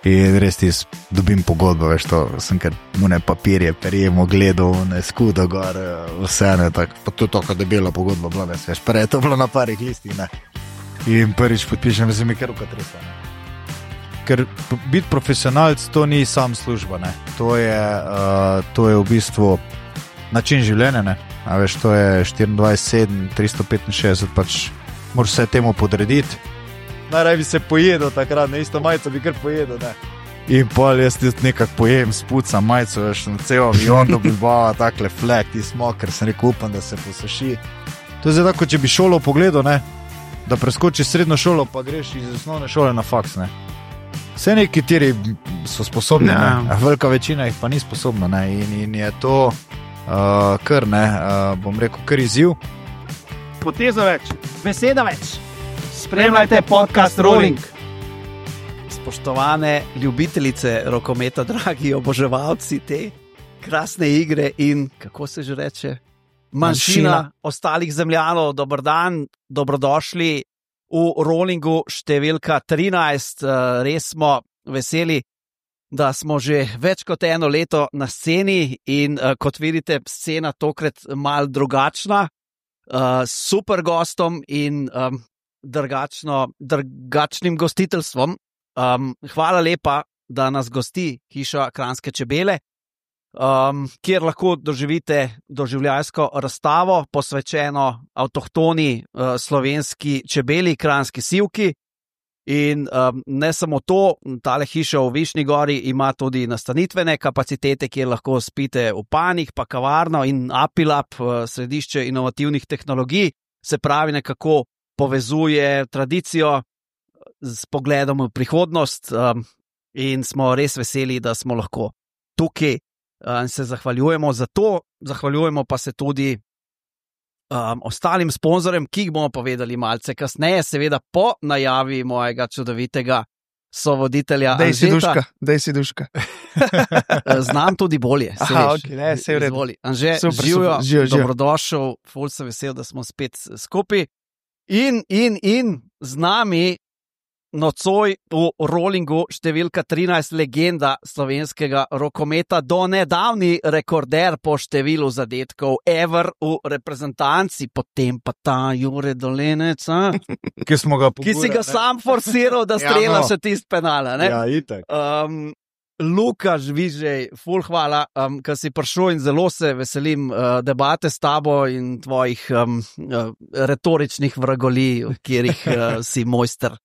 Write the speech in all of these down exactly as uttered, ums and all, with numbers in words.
In res ti dobim pogodbo, veš to, sem kar mune papirje, perjemo, gledal, ne skudo gor, vse ne, tako, pa to je tako debela pogodba bila, veš, veš, prej je to bilo na parih listih, ne. In prvič podpišem, da se mi kar ruka tresa, ne. Ker biti profesionalc, to ni sam služba, ne. To je, uh, to je v bistvu način življenja, ne. A veš, to je štiriindvajset sedem, tristo petinšestdeset, pač moraš vse temu podrediti. Najraj bi se pojedel takrat, ne, isto majico bi kar pojedel, ne. In pol jaz ti nekak pojem, spucam majico, veš, na cel avion do Bilbao, takle flek, ti smokr, sem rekel, upam, da se posuši. To je zdaj tako, če bi šolo pogledal, ne, da preskočiš srednjo šolo, pa greš iz osnovne šole na faks, ne. Vse nekateri so sposobni, ne, velika večina jih pa ni sposobna, ne, in, in je to uh, kar, ne, uh, bom rekel, kar izziv. Poteza več, beseda več. Spremljajte podcast Rolling. Spoštovane ljubitelice rokometa, dragi oboževalci te krasne igre in, kako se že reče, manjšina ostalih zemljanov, dober dan, dobrodošli v Rollingu številka trinajst. Res smo veseli, da smo že več kot eno leto na sceni in kot vidite, scena tokrat malo drugačna, super gostom in Drugačno, drugačnim gostiteljstvom. Um, hvala lepa, da nas gosti hiša Kranjske čebele, um, kjer lahko doživite doživljajsko razstavo posvečeno avtohtoni uh, slovenski čebeli, kranjski sivki. In um, ne samo to, tale hiša v Višnji Gori ima tudi nastanitvene kapacitete, kjer lahko spite v panjih, pa kavarno in Apilab, uh, središče inovativnih tehnologij, se pravi nekako povezuje tradicijo s pogledom v prihodnost, um, in smo res veseli, da smo lahko tukaj in um, se zahvaljujemo za to, zahvaljujemo pa se tudi um, ostalim sponzorjem, ki jih bomo povedali malce kasneje, seveda po najavi mojega čudovitega sovoditelja Dej si Anžeta. duška, dej si duška. Znam tudi bolje. Aha, ok, ne, se je vredno. Anže, živijo, dobrodošel, ful sem vesel, da smo spet skupaj. In, in, in z nami nocoj v Rollingu številka trinajst, legenda slovenskega rokometa, do nedavni rekorder po številu zadetkov ever v reprezentanci, potem pa ta Jure Dolenec, ki, smo ga ki si ga ne? sam forsiral, da strela ja, no. še tist penala. Ne? Ja, itak. Um, Luka Žvižej, ful hvala, um, ker si prišel in zelo se veselim uh, debate s tabo in tvojih um, uh, retoričnih vragolij, kjerih uh, si mojster.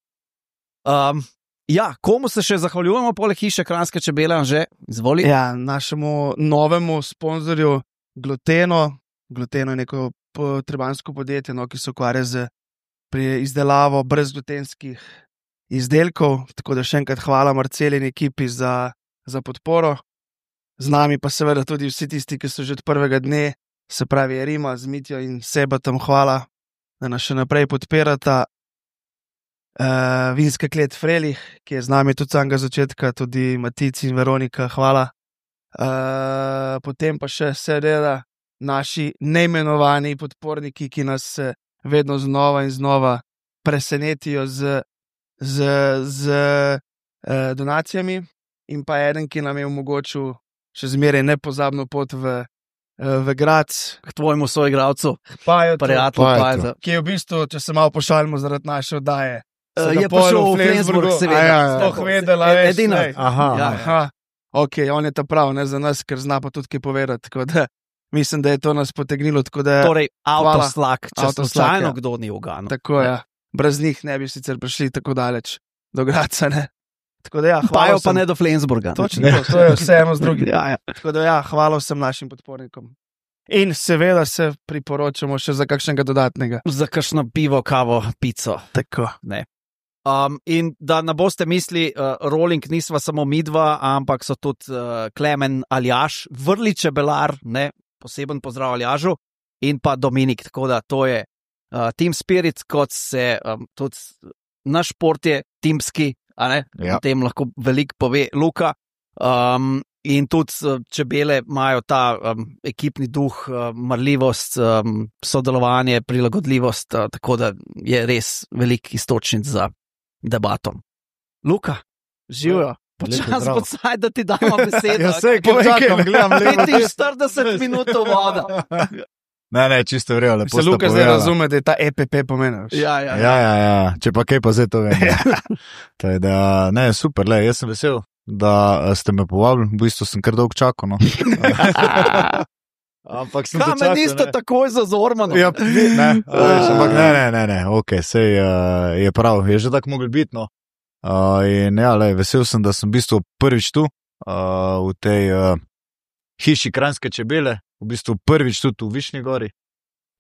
Um, ja, komu se še zahvaljujemo poleg hiše Kranjske čebele, Anže? Izvoli. Ja, našemu novemu sponzorju Gluteno. Gluteno je neko trebanjsko podjetje, no, ki se ukvarja z pri izdelavo brezglutenskih izdelkov, tako da še enkrat hvala Marceli in ekipi za za podporo. Z nami pa seveda tudi vsi tisti, ki so že od prvega dne, se pravi Rima, z Mitjo in Sebatom, hvala, da nas še naprej podpirata. Uh, vinska klet Frelih, ki je z nami tudi samega začetka, tudi Matic in Veronika, hvala. Uh, potem pa še seveda naši neimenovani podporniki, ki nas vedno znova in znova presenetijo z, z, z uh, donacijami. In pa eden, ki nam je omogočil še zmeraj nepozabno pot v, v Graz. K tvojemu soigralcu, prijatelju, ki je v bistvu, če se malo pošalimo zaradi naše oddaje, uh, je prišel v Flensburg, seveda. Ja, ja, ja. Vedela, veš, edina. Aha, ja, aha. Ok, on je ta prav, ne za nas, ker zna pa tudi kaj povedati. Tako da mislim, da je to nas potegnilo. Da, torej, avtoslak, če slučajno ja. kdo ni uganil. Tako je, ja. Brez njih ne bi sicer prišli tako daleč do Graca, ne. Tako da ja, Pajo sem... pa ne do Flensburga. Točno, to, to je vse eno z drugim. ja, ja. Tako da ja, hvala vsem našim podpornikom. In seveda se priporočamo še za kakšnega dodatnega. Za kakšno pivo, kavo, pico. Tako. Ne. Um, in da ne boste misli, uh, Rolling nisva samo midva, ampak so tudi uh, Klemen Aljaž, vrli čebelar, ne, poseben pozdrav Aljažu, in pa Dominik, tako da to je uh, team spirit, kot se um, tudi naš šport je timski, a ne, ja. O tem lahko veliko pove Luka, um, in tudi čebele imajo ta um, ekipni duh, um, marljivost, um, sodelovanje, prilagodljivost, uh, tako da je res velik istočnic za debatom. Luka, živijo. Počas podsaj, da ti damo besedo. Ja, sej, ko čakam, gledam levo. petinštirideset minut voda. Ne, ne, čisto vrejo, lepo Se sta Luka zdaj povedala. razume, da je ta E P P pomenil. Ja, ja, Ja, ja, ja, če pa kaj pa zdaj to vem. Tako da, ne, super, le, jaz sem vesel, da eh, ste me povabili, v bistvu sem kar dolgo čakal, no. Ampak sem Kaj me niste takoj za Zormano? Ja, ne, a veš, ampak ne, ne, ne, ne, ok, sej uh, je prav, je že tako mogli biti, no. Uh, in ja, le, vesel sem, da sem v bistvu prvič tu, uh, v tej uh, hiši Kranjske čebele, v bistvu prvič tudi v Višnji gori.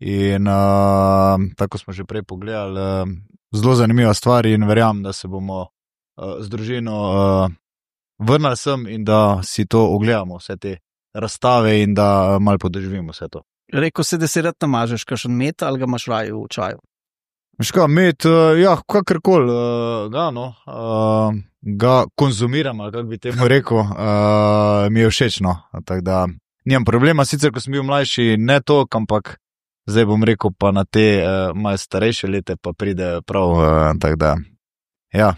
In uh, tako smo že prej pogledali, uh, zelo zanimiva stvar in verjamem, da se bomo uh, z družino uh, vrnili sem in da si to ogledamo, vse te razstave in da uh, malo podoživimo vse to. Rekel si, da si rad namažeš kakšen met ali ga imaš raje v čaju? Veš kaj, med, uh, ja, kakorkoli uh, ga, no, uh, ga konzumiram, ali kako bi temu rekel, uh, mi je všeč, no, tako da nimam problema, sicer ko sem bil mlajši, ne toliko, ampak zdaj bom rekel pa na te uh, malo starejše lete pa pride prav, uh, tako da, ja,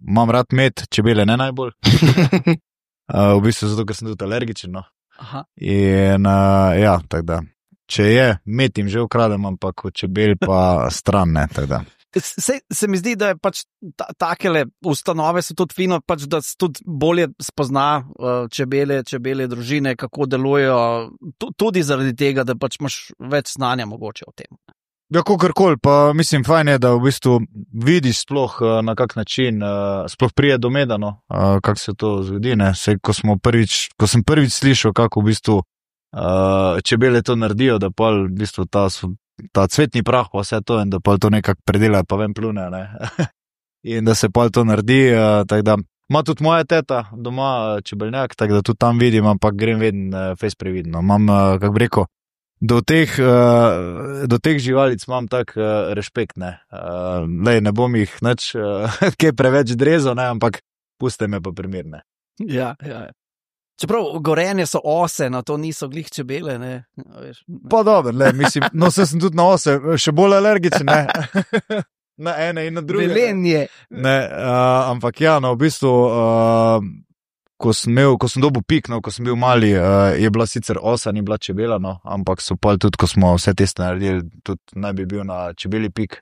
imam rad med, čebele ne najbolj, uh, v bistvu zato, ker sem tudi alergičen, no, Aha. in uh, ja, tako da. Če je, med jim že ukradem, ampak od čebel pa stran, ne, tako da. Se, se mi zdi, da je pač ta, takele ustanove so tudi fino, pač da se tudi bolje spozna uh, čebele, čebele družine, kako delujejo, tudi zaradi tega, da pač imaš več znanja mogoče o tem. Ja, kakorkoli, pa mislim, fajn je, da v bistvu vidiš sploh na kak način, sploh prije do meda, no, kako se to zgodi, ne, se, ko smo prvič, ko sem prvič slišal, kako v bistvu Uh, čebele to naredijo, da pol v bistvu ta, ta cvetni prah pa vse to in da pol to nekako predelajo pa ven plune, ne. In da se pol to naredi, uh, tako da ima tudi moja teta doma uh, čebelnjak, tako da tudi tam vidim, ampak grem vedno uh, fejs previdno. Imam, uh, kako bi rekel, do teh, uh, do teh živalic imam tak uh, respekt, ne. Uh, lej, ne bom jih nič uh, kaj preveč drezal, ne, ampak puste me pa primirne. Ja, ja, ja. Čeprav gorenje so ose, no to niso glih čebele, ne. Veš. Pa dobro, le, mislim, no se sem tudi na ose, še bolj alergičen, ne. Na ene in na druge. Velenje. Ne, uh, ampak ja, no, v bistvu, uh, ko sem imel, ko sem dobil pik, no, ko sem bil mali, uh, je bila sicer osa, ni bila čebela, no, ampak so pa tudi, ko smo vse teste naredili, tudi naj bi bil na čebeli pik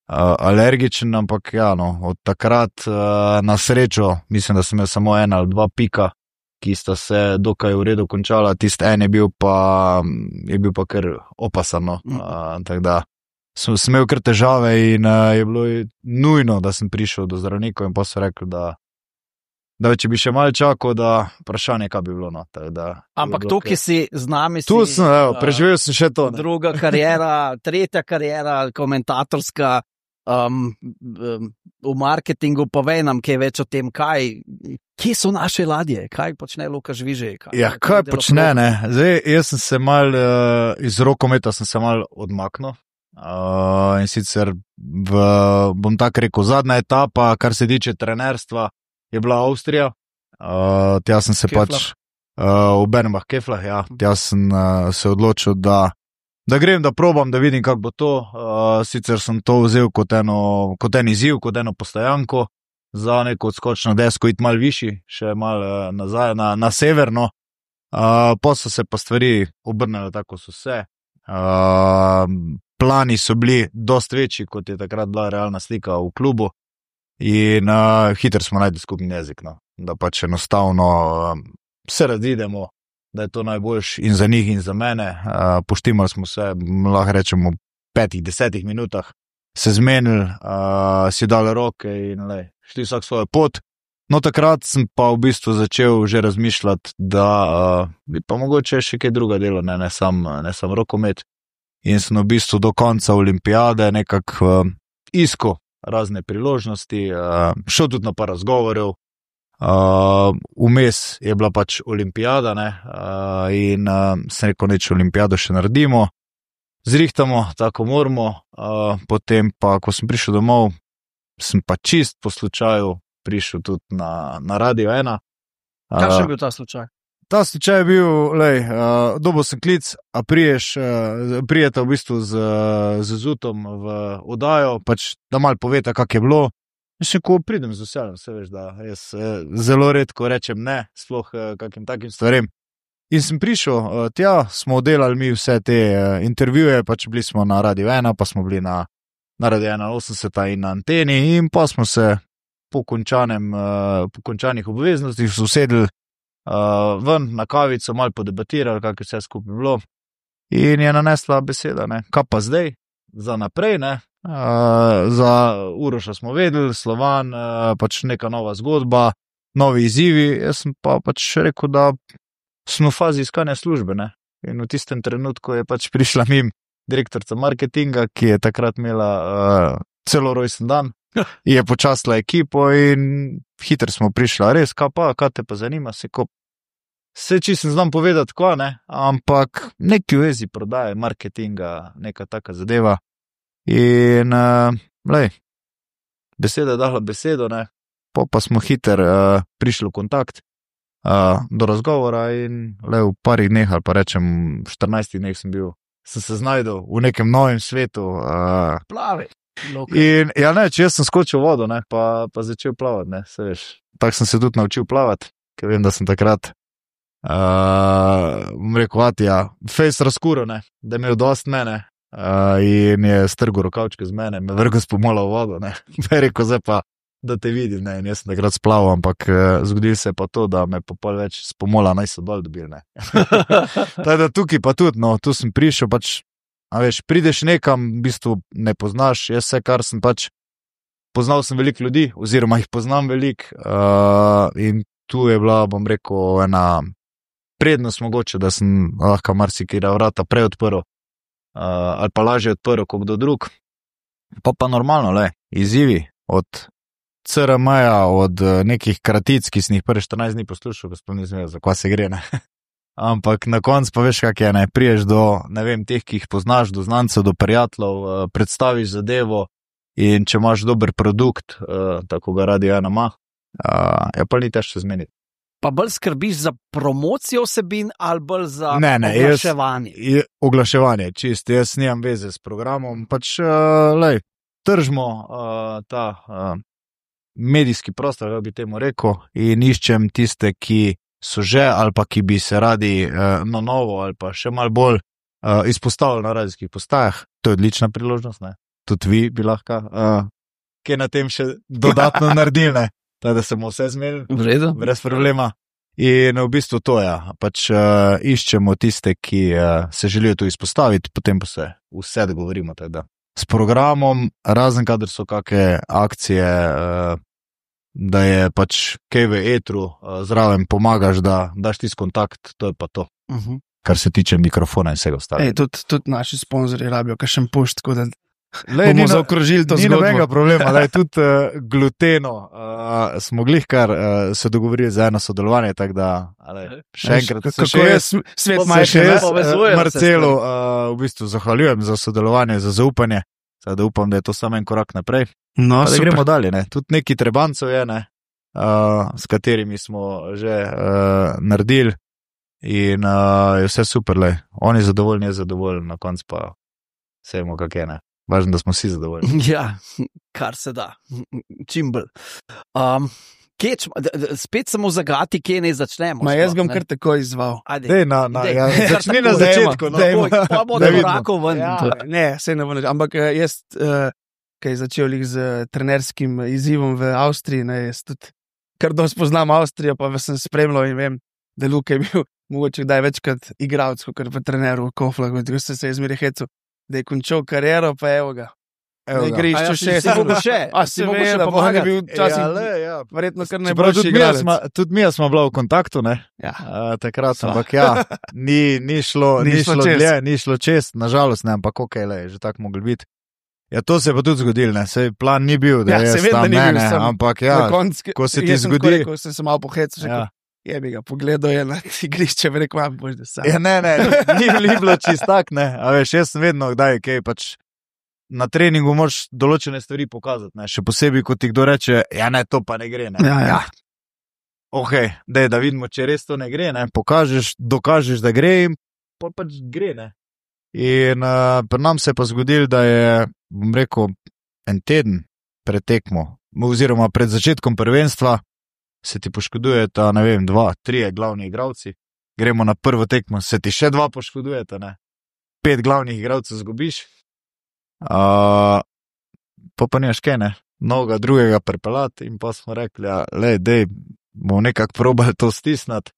uh, alergičen, ampak ja, no, od takrat uh, na srečo, mislim, da sem imel samo ena ali dva pika, ki sta se dokaj v redu končala, tist en je bil pa, je bil pa kar opasan, no. Mm. Uh, tako da sem, sem imel kar težave in uh, je bilo nujno, da sem prišel do zdravnikov in pa so rekli, da, da če bi še malo čakal, da vprašanje, kaj bi bilo, no. Tak, da, Ampak to, ki si z nami, tu si, sem, evo, preživel sem še to. Ne. druga karijera, tretja karijera, komentatorska, um, um, v marketingu, povej nam kaj več o tem, kaj, kje so naše ladje, kaj počne Luka Žvižej. Kaj, Ja, kaj počne, ne? Zdaj, jaz sem se mal, uh, iz rokometa sem se mal odmaknil. Uh, in sicer v, bom tako rekel, zadnja etapa, kar se tiče trenerstva, je bila Avstrija. Uh, tja sem se Keflah. pač, uh, v Bernbach Keflah, ja, tja sem uh, se odločil, da, da grem, da probam, da vidim, kako bo to. Uh, sicer sem to vzel kot, eno, kot en izziv, kot eno postajanko, za neko odskočno desko iti malo višji, še malo uh, nazaj na, na severno. Uh, pa so se pa stvari obrnile tako so se. Uh, plani so bili dost večji, kot je takrat bila realna slika v klubu in uh, hitro smo našli skupni jezik, no. Da pač enostavno uh, se razidemo, da je to najboljš in za njih in za mene. Uh, poštimali smo se, lahko rečemo, v petih, desetih minutah se zmenili, uh, si dali roke in lej, šli vsak svojo pot. No, takrat sem pa v bistvu začel že razmišljati, da uh, bi pa mogoče še kaj druga delo, ne, ne sam, ne sam rokomet. In sem v bistvu do konca olimpijade nekako uh, iskal razne priložnosti, uh, šel tudi na par razgovorov. Uh, vmes je bila pač olimpijada, ne, uh, in uh, sem rekel, neč olimpijado še naredimo. Zrihtamo, tako moramo, uh, potem pa, ko sem prišel domov, sem pa čist po slučaju prišel tudi na, na Radio ena. Kakšen je bil ta slučaj? Ta slučaj je bil, lej, uh, dobil sem klic, a priješ, uh, prijeta v bistvu z, z Zutom v oddajo, pač da malo poveta, kak je bilo. Mislim, ko pridem z veseljem, se veš, da jaz eh, zelo redko rečem ne, sploh eh, kakim takim stvarem. In sem prišel, eh, tja smo oddelali mi vse te eh, intervjuje, pač bili smo na Radio ena, pa smo bili na, na Radio ena osemdeset in na anteni in pa smo se po, končanem, eh, po končanih obveznostih usedli eh, ven na kavico, malo podebatirali, kak je vse skupaj bilo. In je nanesla beseda, ne, kaj pa zdaj, za naprej, ne. Uh, za Uroša smo vedeli, Slovan, uh, pač neka nova zgodba, novi izzivi. Jaz sem pa pač rekel, da smo v fazi iskanja službe, ne. In v tistem trenutku je pač prišla mim direktorica marketinga, ki je takrat imela uh, celo rojsten dan, je počastila ekipo in hitro smo prišla, res, kaj pa, kaj te pa zanima, se ko se čisto znam povedati, kaj ne, ampak neki vezi prodaje, marketinga, neka taka zadeva. In, uh, lej, beseda je dala besedo, ne, pa pa smo hiter uh, prišli v kontakt uh, do razgovora in, lej, v parih dneh, ali pa rečem, v štirinajstih dneh sem bil, sem se znajdel v nekem novem svetu. Uh, Plavi. In, ja, ne, če jaz sem skočil v vodo, ne, pa, pa začel plavati, ne, se veš, tako sem se tudi naučil plavati, ker vem, da sem takrat, uh, bom rekel, ja, fejs razkuro, ne, da je imel dost mene. Uh, in je strgal rokavčke z mene, me vrgo spomola v vodo, ne, me je rekel, zdaj pa, da te vidim, ne, in jaz sem takrat splaval, ampak uh, zgodil se pa to, da me pa pol več spomola naj so dol dobil, ne. Teda tukaj pa tudi, no, tu sem prišel, pač, a veš, prideš nekam, v bistvu ne poznaš, jaz vse, kar sem pač, poznal sem veliko ljudi, oziroma jih poznam veliko, uh, in tu je bila, bom rekel, ena prednost mogoče, da sem lahko marsikera vrata prej odprl, Uh, ali pa lažje odprl kot kdo drug. Pa pa normalno, le, izzivi od C R M-ja, od nekih kratic, ki sem jih prvi štirinajst dni poslušal, ko sploh nisem vedel, za kva se gre, ne. Ampak na koncu pa veš, kak je, ne, priješ do, ne vem, teh, ki jih poznaš, do znancev, do prijateljev, uh, predstaviš zadevo in če imaš dober produkt, uh, tako ga Radio ena ima, uh, je pa ni težko zmeniti. Pa bolj skrbiš za promocijo vsebin ali bolj za ne, ne, oglaševanje? Jaz, oglaševanje, čist, jaz nimam veze s programom, pač, uh, lej, tržimo uh, ta uh, medijski prostor, kako bi temu rekel, in iščem tiste, ki so že ali pa ki bi se radi uh, na novo ali pa še malo bolj uh, izpostavili na radijskih postajah. To je odlična priložnost, ne. Tudi vi bi lahko uh, kaj na tem še dodatno naredili, ne. Da se bomo vse zmenili, brez problema. In v bistvu to je, pač uh, iščemo tiste, ki uh, se želijo tu izpostaviti, potem pa se vse dogovorimo. Teda. S programom, razen kadar so kakšne akcije, uh, da je pač kaj v etru, uh, zraven pomagaš, da daš tisti kontakt, to je pa to. Uh -huh. Kar se tiče mikrofona in vsega ostalega. Tudi, tudi naši sponzorji rabijo kakšen pušt, tako da Lej, bomo zaokrožili to zgodbo. Ni nobenega problema, da je tudi uh, gluteno. Uh, smo glihkar uh, se dogovorili za eno sodelovanje, tako da ale, še enkrat se še jaz, svet majhen, uh, Marcelu uh, v bistvu zahvaljujem za sodelovanje, za zaupanje, da upam, da je to samo en korak naprej. No, da gremo dalje, ne. Tudi neki trebancev je, ne, uh, s katerimi smo že uh, naredili in uh, je vse super, lej. On je zadovoljen, je zadovoljen, na koncu pa vsemo, kak je, ne. Važno, da smo vsi zadovoljni. Ja, kar se da, čim bolj. Um, keč, spet samo zagati, kje ne začnemo. Ma jaz bom kar tako izval. Dej, na, na, Dej, ja, začni na začetku. No. Dej, pa bo da korakov ven. Ja, ne, se ne bo neč. Ampak jaz, uh, kaj začel jih z trenerskim izzivom v Avstriji, ne, jaz tudi kar dosti poznam Avstrijo, pa sem spremljal in vem, da Luka je bil mogoče kdaj večkrat igralec, kot pa trener v Koflah, ko se je izmeri hecu. Da je končal kariero, pa evo ga. Evo ga. Igrišču ja, še. Si mogo še. A si mogo še pomagati. Je bil časih, ja, le, ja. Verjetno kar najboljši igralec. Tudi mi smo bila v kontaktu, ne? Ja. Uh, takrat, so. Ampak ja, ni, ni šlo, ni ni šlo dlje, ni šlo čest, nažalost ne, ampak ok, le, že tako mogli biti. Ja, to se je pa tudi zgodilo, ne? Sej plan ni bil, da ja, je tam ne, ne, ampak ja, konc, ko se ti zgodi. Ko sem se malo pohecil, ja. Je bi ga pogledal, je na igrišče, bi rekel, vam boš da sam. Ja, ne, ne, ni, ni bilo čist tak, ne, a veš, jaz sem vedno, kdaj, kaj, pač na treningu moraš določene stvari pokazati, ne, še posebej, ko ti kdo reče, ja, ne, to pa ne gre, ne. Ja, ja. Ok, dej, da vidimo, če res to ne gre, ne, pokažeš, dokažeš, da gre in pa pač gre, ne. In uh, pri nam se je pa zgodil, da je, bom rekel, en teden pred tekmo, oziroma pred začetkom prvenstva se ti poškodujeta, ne vem, dva, trije glavni igralci, gremo na prvo tekmo, se ti še dva poškodujeta, ne, pet glavnih igralcev zgubiš, uh, pa pa nimaš kaj, ne, mnoga drugega prepelati in pa smo rekli, ja, lej, dej, bomo nekako probali to stisnati,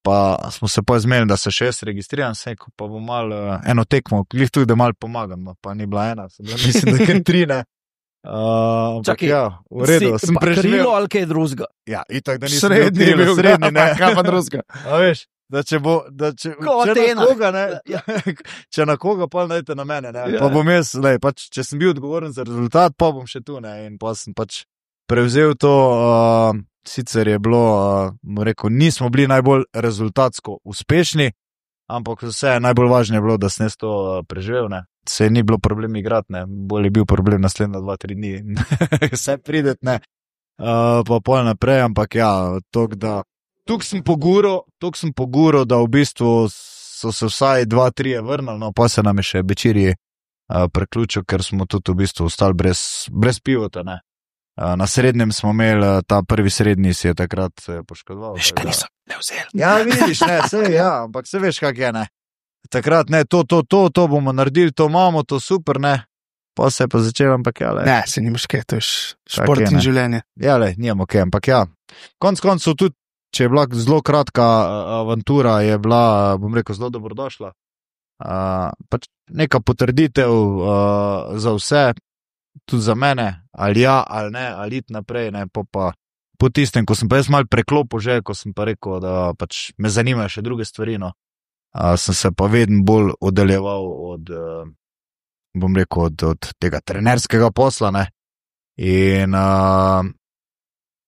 pa smo se pa zmenili, da se še jaz registriram, seko, pa bom malo eno tekmo, glih tudi, da malo pomagam, no, pa ni bila ena, sem bila, mislim, da kar tri, ne. Uh, Čakaj, ja, v redu, si, sem preživel. Krilo ali kaj drugega? Ja, itak, da nisem Srednji bil bil, srednji, ne. Kaj pa drugega? A veš, da če bo, da če, Ko če Atena. na koga, ne, Ja. če na koga, pa dajte na mene, ne, Ja. pa bom jaz, lej, pač, če sem bil odgovoren za rezultat, pa bom še tu, ne, in pa sem pač prevzel to, uh, sicer je bilo, uh, bom rekel, nismo bili najbolj rezultatsko uspešni, ampak vse najbolj važno je bilo, da sem jaz to uh, preživel, ne. Se ni bilo problem igrati, ne, bolj je bil problem naslednja dva, tri dni, vse pridet, ne, uh, pa pol naprej, ampak ja, tok da, tuk sem poguro, tuk sem poguro, da v bistvu so se vsaj dva, trije vrnili, no, pa se nam je še Bečiri uh, preključil, ker smo tudi v bistvu ostali brez, brez pivota, ne. Uh, na srednjem smo imeli, uh, ta prvi srednji si je takrat uh, poškodoval. Veš, kaj tako da- niso ne vzeli. Ja, vidiš, ne, se, ja, ampak se veš, kak je, ne. Takrat, ne, to, to, to, to bomo naredili, to imamo, to super, ne. Pa se je pa začelo, ampak ja, le. Ne, se nimaš kaj, to je š- Tak šport je, in ne. življenje. Ja, le, nijemo kaj, ampak ja. Konc koncev tudi, če je bila zelo kratka uh, avantura, je bila, uh, bom rekel, zelo dobrodošla. Uh, pač neka potrditev uh, za vse, tudi za mene, ali ja, ali ne, ali iti naprej, ne, pa pa po tistem, ko sem pa jaz mal preklopil že, ko sem pa rekel, da pač me zanimajo še druge stvari, no. Uh, sem se pa vedno bolj oddaljeval od, uh, bom rekel, od, od tega trenerskega posla, ne. In uh,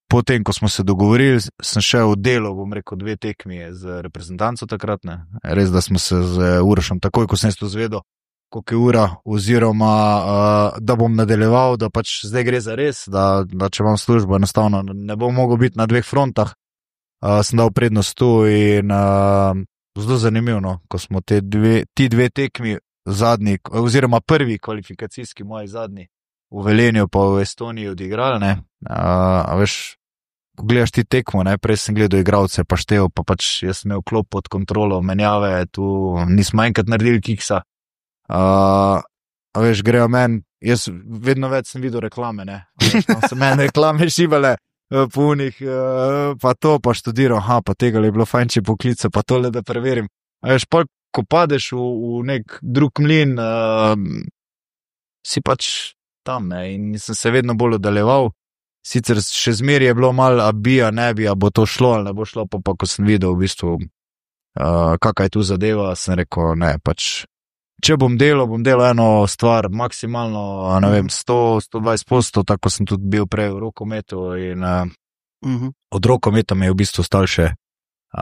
potem, ko smo se dogovorili, sem šel v delo, bom rekel, dve tekmi z reprezentanco takrat, ne. Res, da smo se z Urošem, takoj, ko sem to zvedel, koliko je ura, oziroma uh, da bom nadaljeval, da pač zdaj gre za res, da, da če imam službo, enostavno ne bom mogel biti na dveh frontah, uh, sem dal prednost tu in uh, zelo zanimivo, no, ko smo te dve, ti dve tekmi zadnji, oziroma prvi kvalifikacijski moji zadnji v Velenju pa v Estoniji odigrali, ne, uh, a veš, ko gledaš ti tekmo, ne, prej sem gledal igralce, pa štev, pa pač jaz sem imel klop pod kontrolo, menjave, tu nismo enkrat naredili kiksa, uh, a veš, grejo meni, jaz vedno več sem videl reklame, ne, a veš, tam so meni reklame šibale, punih, pa to, pa študiral, aha, pa tega je bilo fajn, če poklica, pa tole, da preverim. A veš, pol, ko padeš v, v nek drug mlin, uh, si pač tam, ne, in sem se vedno bolj oddaljeval. Sicer še zmeraj je bilo malo, a bi, a ne bi, a bo to šlo, ali ne bo šlo, pa, pa ko sem videl v bistvu, uh, kakaj je tu zadeva, sem rekel, ne, pač, če bom delal, bom delal eno stvar maksimalno, a ne vem, sto, sto dvajset posto, tako sem tudi bil prej v rokometu in uh, Mhm. od rokometa mi je v bistvu stal še uh,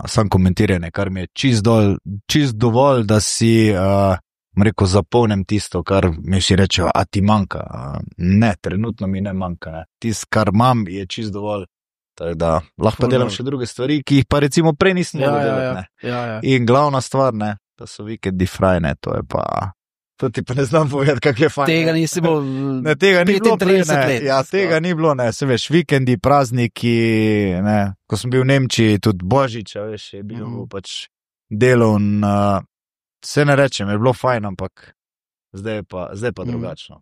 sam komentiranje, kar mi je čist, dol, čist dovolj, da si, uh, rekel, zapolnem tisto, kar mi vsi rečejo, a ti manjka. Uh, ne, trenutno mi ne manjka. Ne. Tisto, kar imam, je čist dovolj. Tako da lahko pa delam še druge stvari, ki jih pa recimo prej nisem Ja, mogel ja, delati. ja. Ne. Ja, ja. In glavna stvar, ne, da so vikendi frajne, to je pa, to ti pa ne znam povedati, kak je fajn. Tega ne. nisi bil Ne, tega ni bilo prej, petintrideset ne. let. Ja, tega ni bilo, ne, se veš, vikendi, prazniki, ne, ko sem bil v Nemčiji, tudi Božič, a veš, je bil Mhm. pač delovn, uh, se ne rečem, je bilo fajn, ampak zdaj je pa, zdaj pa Mhm. drugačno.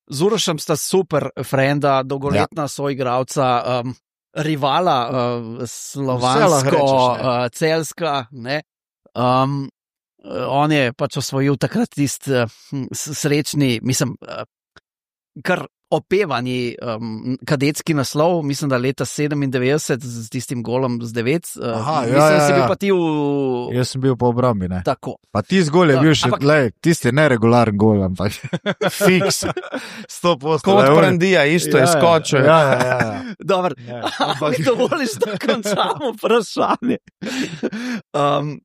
Z Urošem sta super frenda, dolgoletna ja. soigralca, um, rivala, uh, Vse lahko slovansko, rečeš, ne. uh, celska. Ne? Um, uh, on je pač osvojil takrat tisti uh, srečni, mislim, uh, kar opevani um, kadetski naslov, mislim, da leta sedemindevetdeset z tistim golom z devet. Uh, Aha, ja, mislim, da ja, si bil ja. pa ti v. Jaz sem bil po obrambi, ne. Tako. Pa ti zgolj je Ja, bil še, ampak- glej, tisti neregularen gol, ampak fiks, sto posto. Kot Prandija, isto je skočil. Ja, ja, ja, ja. Dobro, Ja, ampak ampak- mi dovoliš, da končamo vprašanje. Um,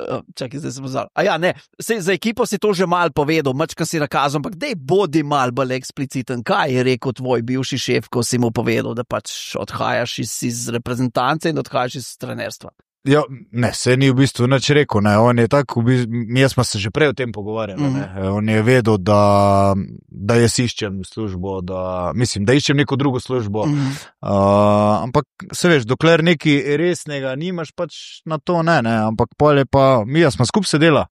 uh, čakaj, zdaj sem pozval. A ja, ne, sej, za ekipo si to že mal povedal, mačka si nakazal, ampak dej bodi mal bolj ekspliciten. Kaj je rekel tvoj bivši šef, ko si mu povedal, da pač odhajaš iz, iz reprezentance in odhajaš iz trenerstva? Ja, ne, se ni v bistvu nič rekel, ne, on je tako, v bistvu, jaz smo se že prej o tem pogovarjali, mm. ne, on je vedel, da, da jaz iščem službo, da, mislim, da iščem neko drugo službo, mm. uh, ampak se veš, dokler nekaj resnega nimaš, pač na to ne, ne, ampak pol je pa, mi smo skupaj sedela,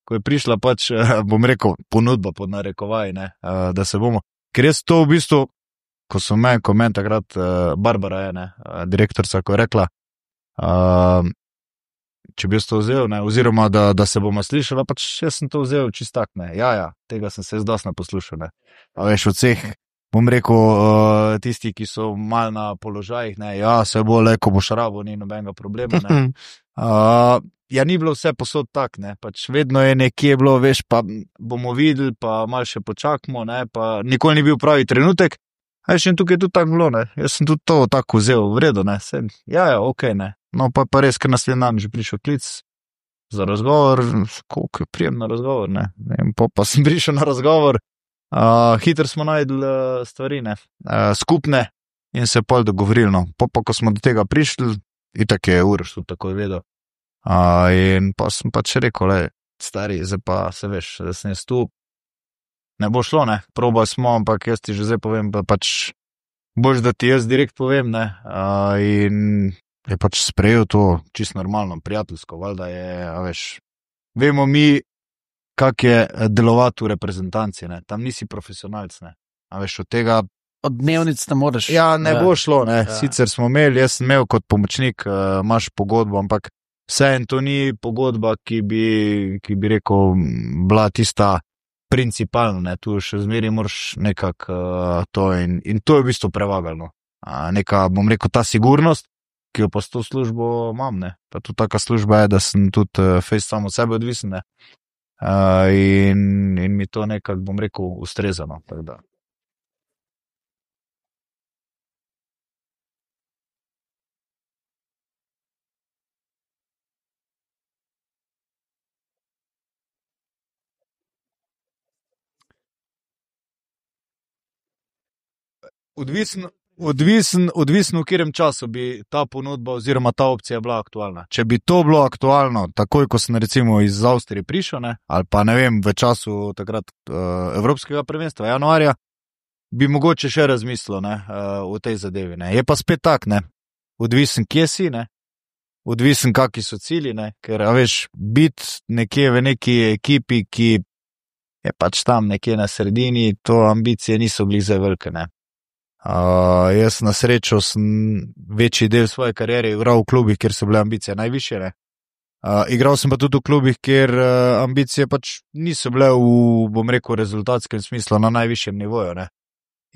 ko je prišla pač, bom rekel, ponudba pod narekovaj, ne, uh, da se bomo, ker jaz to v bistvu, ko so me, ko meni takrat uh, Barbara je, ne, uh, direktorca, ko je rekla, Uh, če bi jaz to vzel, ne, oziroma da, da se bomo slišali, pač jaz sem to vzel čist tak, ne, ja, ja, tega sem se jaz dosti poslušal, ne, a veš, od vseh, bom rekel, uh, tisti, ki so mal na položajih, ne, ja, se bo le, ko boš rabo, ni nobenega problema, ne, uh, ja, ni bilo vse posod tak, ne, pač vedno je nekje bilo, veš, pa bomo videli, pa mal še počakamo, ne, pa nikoli ni bil pravi trenutek, a veš, in tukaj je tudi tako bilo, ne, jaz sem tudi to tako vzel, v redu, ne, sem, ja, ja, okej, okay, ne. No, pa pa res, ker naslednji dan že prišel klic za razgovor, koliko je prijem na razgovor, ne, in pa, pa sem prišel na razgovor, uh, hitro smo najdli uh, stvari, ne, uh, skupne in se pol dogovorili, no, pa pa, ko smo do tega prišli, itak je Uroš tudi tako vedel, uh, in pa sem pač rekel, le, stari, zdaj pa se veš, da sem jaz tu, ne bo šlo, ne, probali smo, ampak jaz ti že zdaj povem, pa pač boš, da ti jaz direkt povem, ne, uh, in je pač sprejel to čisto normalno, prijateljsko, valjda je, a veš, vemo mi, kak je delovati v reprezentanci, ne, tam nisi profesionalc, ne, a veš, od tega... Od dnevnic ne moreš... Ja, ne ja. bo šlo, ne, ja. Sicer smo imeli, jaz sem imel kot pomočnik, uh, imaš pogodbo, ampak vseeno to ni pogodba, ki bi, ki bi rekel, bila tista principalna, ne, tu še zmeri moraš nekako uh, to in, in to je v bistvu prevagalo, uh, neka, bom rekel, ta sigurnost, ki jo pa s to službo imam, ne. Pa tudi taka služba je, da sem tudi uh, fejst samo od sebe odvisen, ne. Uh, in, in mi to nekako, bom rekel, ustrezano, tako da. Odvisno, Odvisen, odvisno v katerem času bi ta ponudba oziroma ta opcija bila aktualna. Če bi to bilo aktualno, takoj, ko sem recimo iz Avstrije prišel, ne, ali pa ne vem, v času takrat uh, Evropskega prvenstva, januarja, bi mogoče še razmislil, ne, uh, v tej zadevi, ne. Je pa spet tak, ne, odvisen kje si, ne, odvisen kaki so cilji, ne, ker, a veš, biti nekje v neki ekipi, ki je pač tam nekje na sredini, to ambicije niso bili zdaj velike, ne. Uh, jaz na srečo sem večji del svoje kariere igral v klubih, kjer so bile ambicije najvišje, ne. Uh, igral sem pa tudi v klubih, kjer uh, ambicije pač niso bile v, bom rekel, rezultatskem smislu na najvišjem nivoju, ne.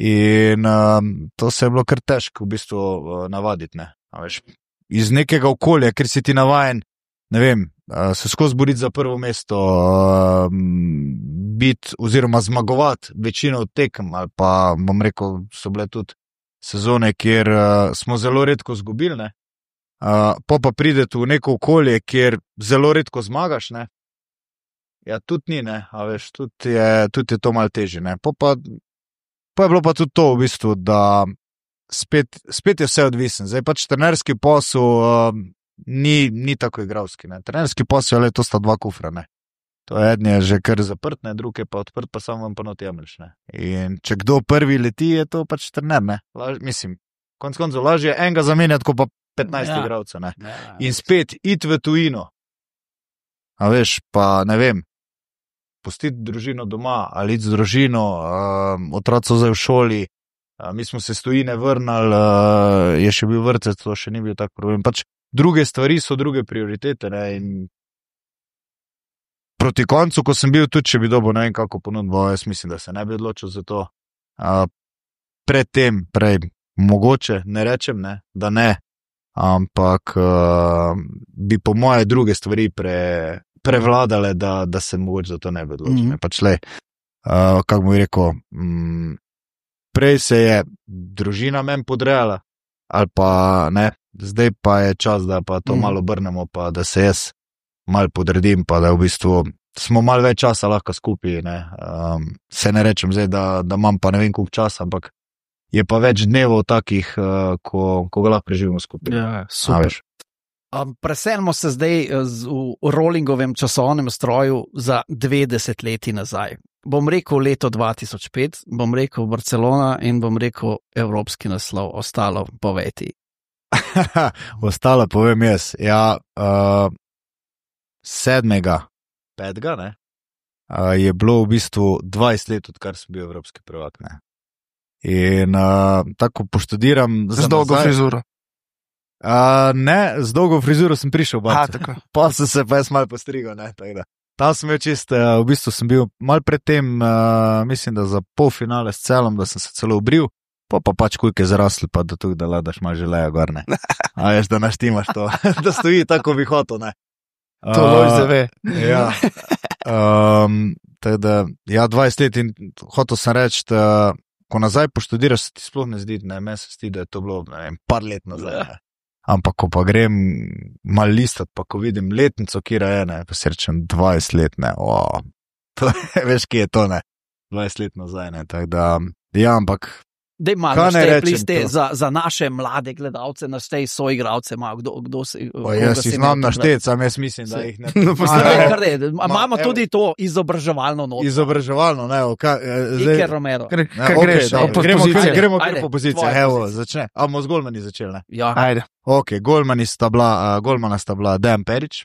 In uh, to se je bilo kar težko v bistvu uh, navaditi, ne. A veš, iz nekega okolja, ker si ti navajen, ne vem, uh, se skozi boriti za prvo mesto, uh, biti oziroma zmagovati večino tekem, ali pa, bom rekel, so bile tudi sezone, kjer uh, smo zelo redko zgubili, ne. Uh, pa pa prideti v neko okolje, kjer zelo redko zmagaš, ne. Ja, tudi ni, ne, a veš, tudi je, tudi je to malo težje, ne. Pa pa, pa je bilo pa tudi to v bistvu, da spet, spet je vse odvisen. Zdaj pač trenerski posel uh, ni, ni tako igralski, ne. Trenerski posel, le, to sta dva kufra, ne. To eden je že kar zaprt, ne, drug je pa odprt, pa samo vam pa not jemliš, ne. In če kdo prvi leti, je to pač trener, ne. Laž, mislim, konc koncev lažje enega zamenjati, ko pa petnajst ja. igralcev, ne. Ja, ja. In spet iti v tujino. A veš, pa ne vem, pustiti družino doma, ali iti z družino, uh, otroci so zdaj v šoli, uh, mi smo se s tujine vrnili, uh, je še bil vrtec, to še ni bil tak problem. Pač druge stvari so druge prioritete, ne, in proti koncu, ko sem bil tudi, če bi dobil ne vem kako ponudbo, jaz mislim, da se ne bi odločil za to. Uh, pred tem, prej, mogoče, ne rečem, ne, da ne, ampak uh, bi po moje druge stvari pre, prevladale, da, da se mogoče za to ne bi odločil. Mm-hmm. Pač le, uh, kako bi rekel, um, prej se je družina meni podrejala, ali pa ne, zdaj pa je čas, da pa to mm-hmm. malo obrnemo, pa da se jaz mal podredim, pa da v bistvu smo mal več časa lahko skupaj, ne. Um, se ne rečem zdaj, da, da imam pa ne vem koliko časa, ampak je pa več dnevov takih, uh, ko, ko ga lahko preživimo skupaj. Ja, super. Um, preselimo se zdaj z, v rollingovem časovnem stroju za dve desetletji nazaj. Bom rekel leto dva tisoč pet, bom rekel Barcelona in bom rekel evropski naslov, ostalo poveti. Ostalo povem jaz. Ja, uh, sedmega, petega, ne, uh, je bilo v bistvu dvajset let, odkar sem bil evropski prvak. Ne. In uh, tako poštudiram z dolgo frizuro. Uh, ne, z dolgo frizuro sem prišel, Aha, pa sem se pa jaz malo postrigal. Tam sem bil čist, uh, v bistvu sem bil malo predtem, uh, mislim, da za polfinale s celom, da sem se celo obril, pa pa pač kujke zarasli, pa da tukaj da ladaš malo želeja gor, ne. A veš, da naštimaš to, da stoji tako vihoto, ne. To uh, loj zave. Ja. Um, teda, ja, dvajset let in hotel sem reči, da ko nazaj poštudiraš, se ti sploh ne zdi, ne, meni se zdi, da je to bilo, ne vem, par let nazaj, ne. Ampak, ko pa grem mal listat, pa ko vidim letnico, kira je, ne, pa si rečem dvajset let, ne, o, to, veš, kje je to, ne, dvajset let nazaj, ne, tako da, ja, ampak, dej malo naštej pliste za, za naše mlade gledalce, naštej soigravce, malo, kdo, kdo se... O, jaz si znam naštet, sam jaz mislim, da jih ne... No, imamo tudi to izobraževalno noto. Izobraževalno, ne, o, kaj... Iker Romero. Kaj greš, gremo kar po pozicije, evo, začne. A bomo z golmani začeli, ne? Ja. Ajde. Ok, golmani sta bila, uh, golmana sta bila Dejan Perić,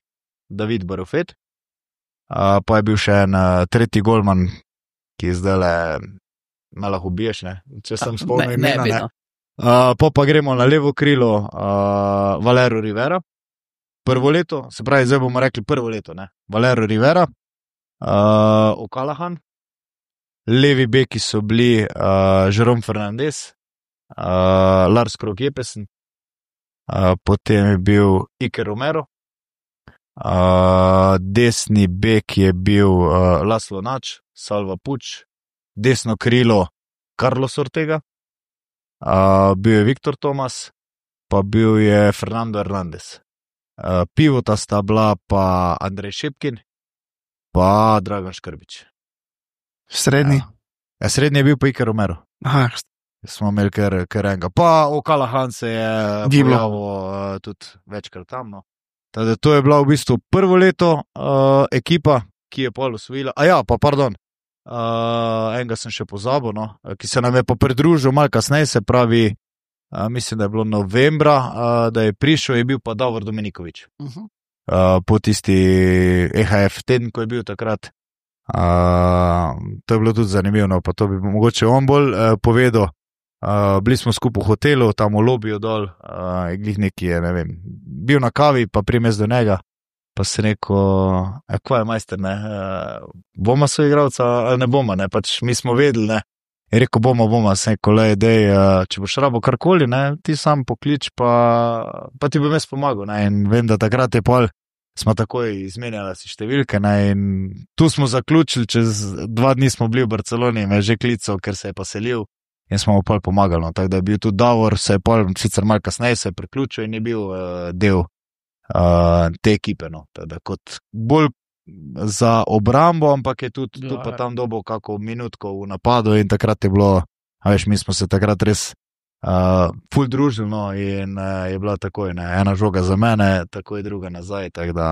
David Barofet, uh, pa je bil še en uh, tretji golman, ki zdaj le me lahko ubiješ, ne, če sem spomnil imena, ne. Uh, pa pa gremo na levo krilo uh, Valero Rivera, prvo leto, se pravi, zdaj bomo rekli prvo leto, ne, Valero Rivera, uh, O'Callaghan, levi beki so bili uh, Jerome Fernandez, uh, Lars Krogh Jeppesen, uh, potem je bil Iker Romero, uh, desni bek je bil uh, Laszlo Nač, Salva Puč, desno krilo Carlos Ortega, uh, bil je Viktor Tomas, pa bil je Fernando Hernandez. Uh, pivota sta bila pa Andrej Šepkin, pa Dragan Škrbić. Srednji? Ja, ja, srednji je bil pa Iker Romero. Aha. Smo imeli kar, kar enega. Pa O'Callaghan se je pojavil uh, tudi večkrat tam. No. Tada, to je bila v bistvu prvo leto uh, ekipa, ki je pol osvojila. A ja, pa pardon. Uh, enega sem še pozabil, no, ki se nam je pa pridružil malo kasneje, se pravi, uh, mislim, da je bilo novembra, uh, da je prišel, je bil pa Davor Dominiković. Uh-huh. Uh, po tisti E H F teden, ko je bil takrat. Uh, to je bilo tudi zanimivo, pa to bi mogoče on bolj uh, povedal. Uh, bili smo skupaj v hotelu, tam v lobiju dol, uh, glih neki je, ne vem, bil na kavi, pa primes do njega. Pa se rekel, e, kva je majster, ne, e, boma so igravca, ali ne boma, ne, pač mi smo vedeli, ne, je rekel, boma, boma, se rekel, le, dej, če boš rabo karkoli, ne, ti sam poklič, pa, pa ti bom jaz pomagal, ne, in vem, da takrat je pol, smo takoj izmenjali si številke, ne, in tu smo zaključili, čez dva dni smo bili v Barceloni, me je že klical, ker se je pa selil, in smo mu pol pomagali, no, tako da je bil tudi Davor, se je pol, sicer malo kasneje se je priključil in je bil uh, del Uh, te ekipe, no, teda kot bolj za obrambo, ampak je tudi ja, tu pa tam dobo kako minutko v napadu in takrat je bilo, a veš, mi smo se takrat res uh, ful družili, no, in uh, je bila takoj, ne, ena žoga za mene, takoj druga nazaj, tako da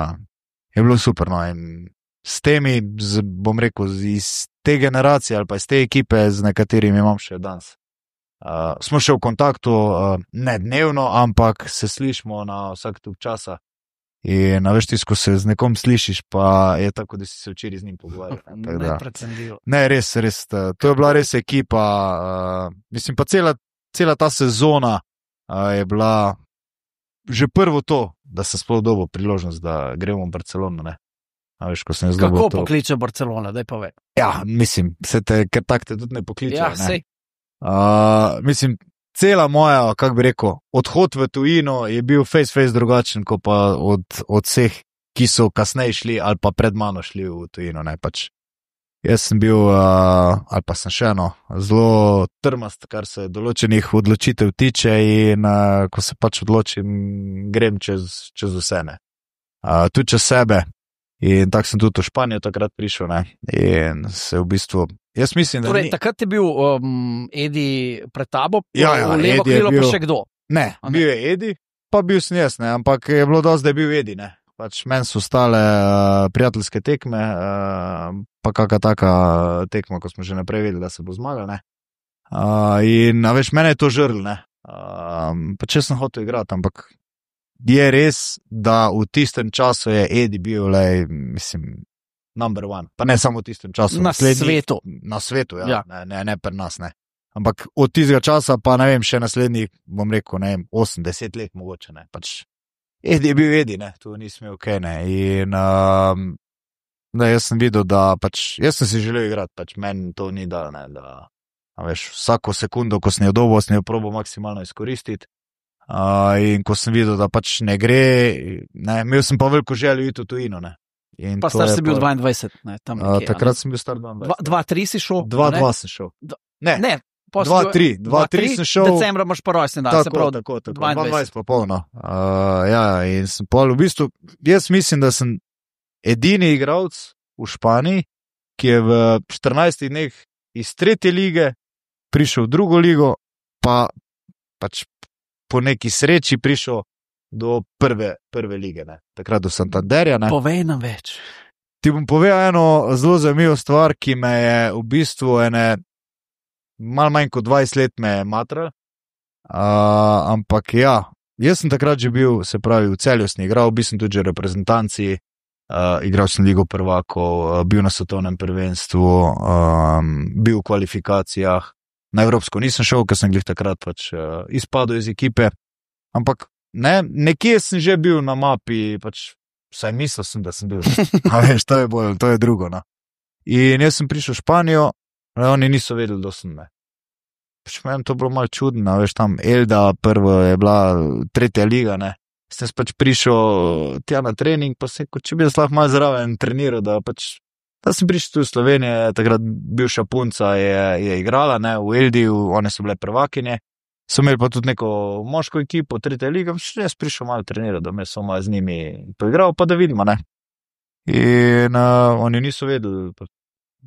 je bilo super, no, in s temi, z, bom rekel, iz te generacije ali pa iz te ekipe, z nekaterimi imam še danes. Uh, smo še v kontaktu, uh, ne dnevno, ampak se slišimo na vsak tuk časa. In na veš, ko se z nekom slišiš, pa je tako, da si se včeraj z njim pogovarjal. Ne, ne, res, res. To je bila res ekipa. Uh, mislim, pa cela, cela ta sezona uh, je bila že prvo to, da se sploh dobo priložnost, da gremo v Barcelono. Ne? A veš, ko sem jaz dobil to. Kako pokliče Barcelona, daj pove. Ja, mislim, se te, ker tak te tudi ne pokliče. Ja, ne? sej. Uh, mislim, cela moja, kako bi rekel, odhod v tujino je bil face face drugačen, kot pa od, od vseh, ki so kasneje šli ali pa pred mano šli v tujino. Ne, pač. Jaz sem bil, uh, ali pa sem še eno, zelo trmast, kar se določenih odločitev tiče in uh, ko se pač odločim, grem čez, čez vse. Ne. Uh, tudi čez sebe. In tako sem tudi v Španijo takrat prišel, ne, in se v bistvu, jaz mislim, da torej, ni... takrat je bil um, Edi pred tabo, ja, ja, v levo Edi krilo bil... pa še kdo? Ne, ne, bil je Edi, pa bil sem jaz, ne, ampak je bilo dosti, da je bil Edi, ne. Pač meni so ostale uh, prijateljske tekme, uh, pa kakšna taka tekma, ko smo že naprej vedeli, da se bo zmagal, ne. Uh, in, a veš, mene je to žrl, ne. Uh, pa če sem hotel igrati, ampak je res, da v tistem času je Edi bil, lej, mislim, number one. Pa ne samo v tistem času. Na svetu. Na svetu, ja. Ja. Ne, ne, ne pri nas, ne. Ampak od tistega časa pa, ne vem, še naslednjih, bom rekel, ne vem, osem deset let mogoče, ne. Pač Edi je bil Edi, ne, tu nisem imel kaj, ne, in um, da jaz sem videl, da pač, jaz sem si želel igrati, pač meni to ni dal, ne, da, a veš, vsako sekundo, ko sem jo dobil, sem jo probal maksimalno izkoristiti, uh, in ko sem videl, da pač ne gre, ne, imel sem pa veliko željo iti v tujino, ne. In pa star si bil dvaindvajset, ne, tam nekje. Uh, takrat sem bil star dvaindvajset. dva tri si šel? dva dva sem šel. Ne. Ne. dva tri, dva tri sem šel. Decembra imaš pa rojsten dan, se pravi. Tako, tako, dvaindvajset pa polno. Uh, ja, in sem pol, v bistvu, jaz mislim, da sem edini igralec v Španiji, ki je v štirinajstih dneh iz tretje lige prišel v drugo ligo, pa pač po neki sreči prišel do prve, prve lige, ne. Takrat do Santanderja, ne. Povej nam več. Ti bom povedal eno zelo zanimivo stvar, ki me je v bistvu ene malo manj kot dvajset let me je matral, uh, ampak ja, jaz sem takrat že bil, se pravi, v Celju sem igral, bil sem tudi že v reprezentanci, uh, igral sem Ligo prvakov, uh, bil na svetovnem prvenstvu, um, bil v kvalifikacijah, na Evropsko nisem šel, ker sem glih takrat pač uh, izpadel iz ekipe, ampak ne, nekje sem že bil na mapi, pač vsaj mislil sem, da sem bil, a veš, to je bolj, to je drugo, no. In jaz sem prišel v Španijo, oni niso vedeli, da sem me. Pač meni to bilo malo čudno, veš, tam Elda prvo je bila tretja liga, ne. Sem pač prišel tja na trening, pa se, kot če bi jaz lahko malo zraven treniral, da pač, da sem prišel tu v Slovenijo, takrat bivša punca je, je igrala, ne, v Eldi, one so bile prvakinje, so imeli pa tudi neko moško ekipo, tretja liga, še jaz prišel malo treniral, da me so malo z njimi poigral, pa da vidimo, ne. In uh, oni niso vedeli,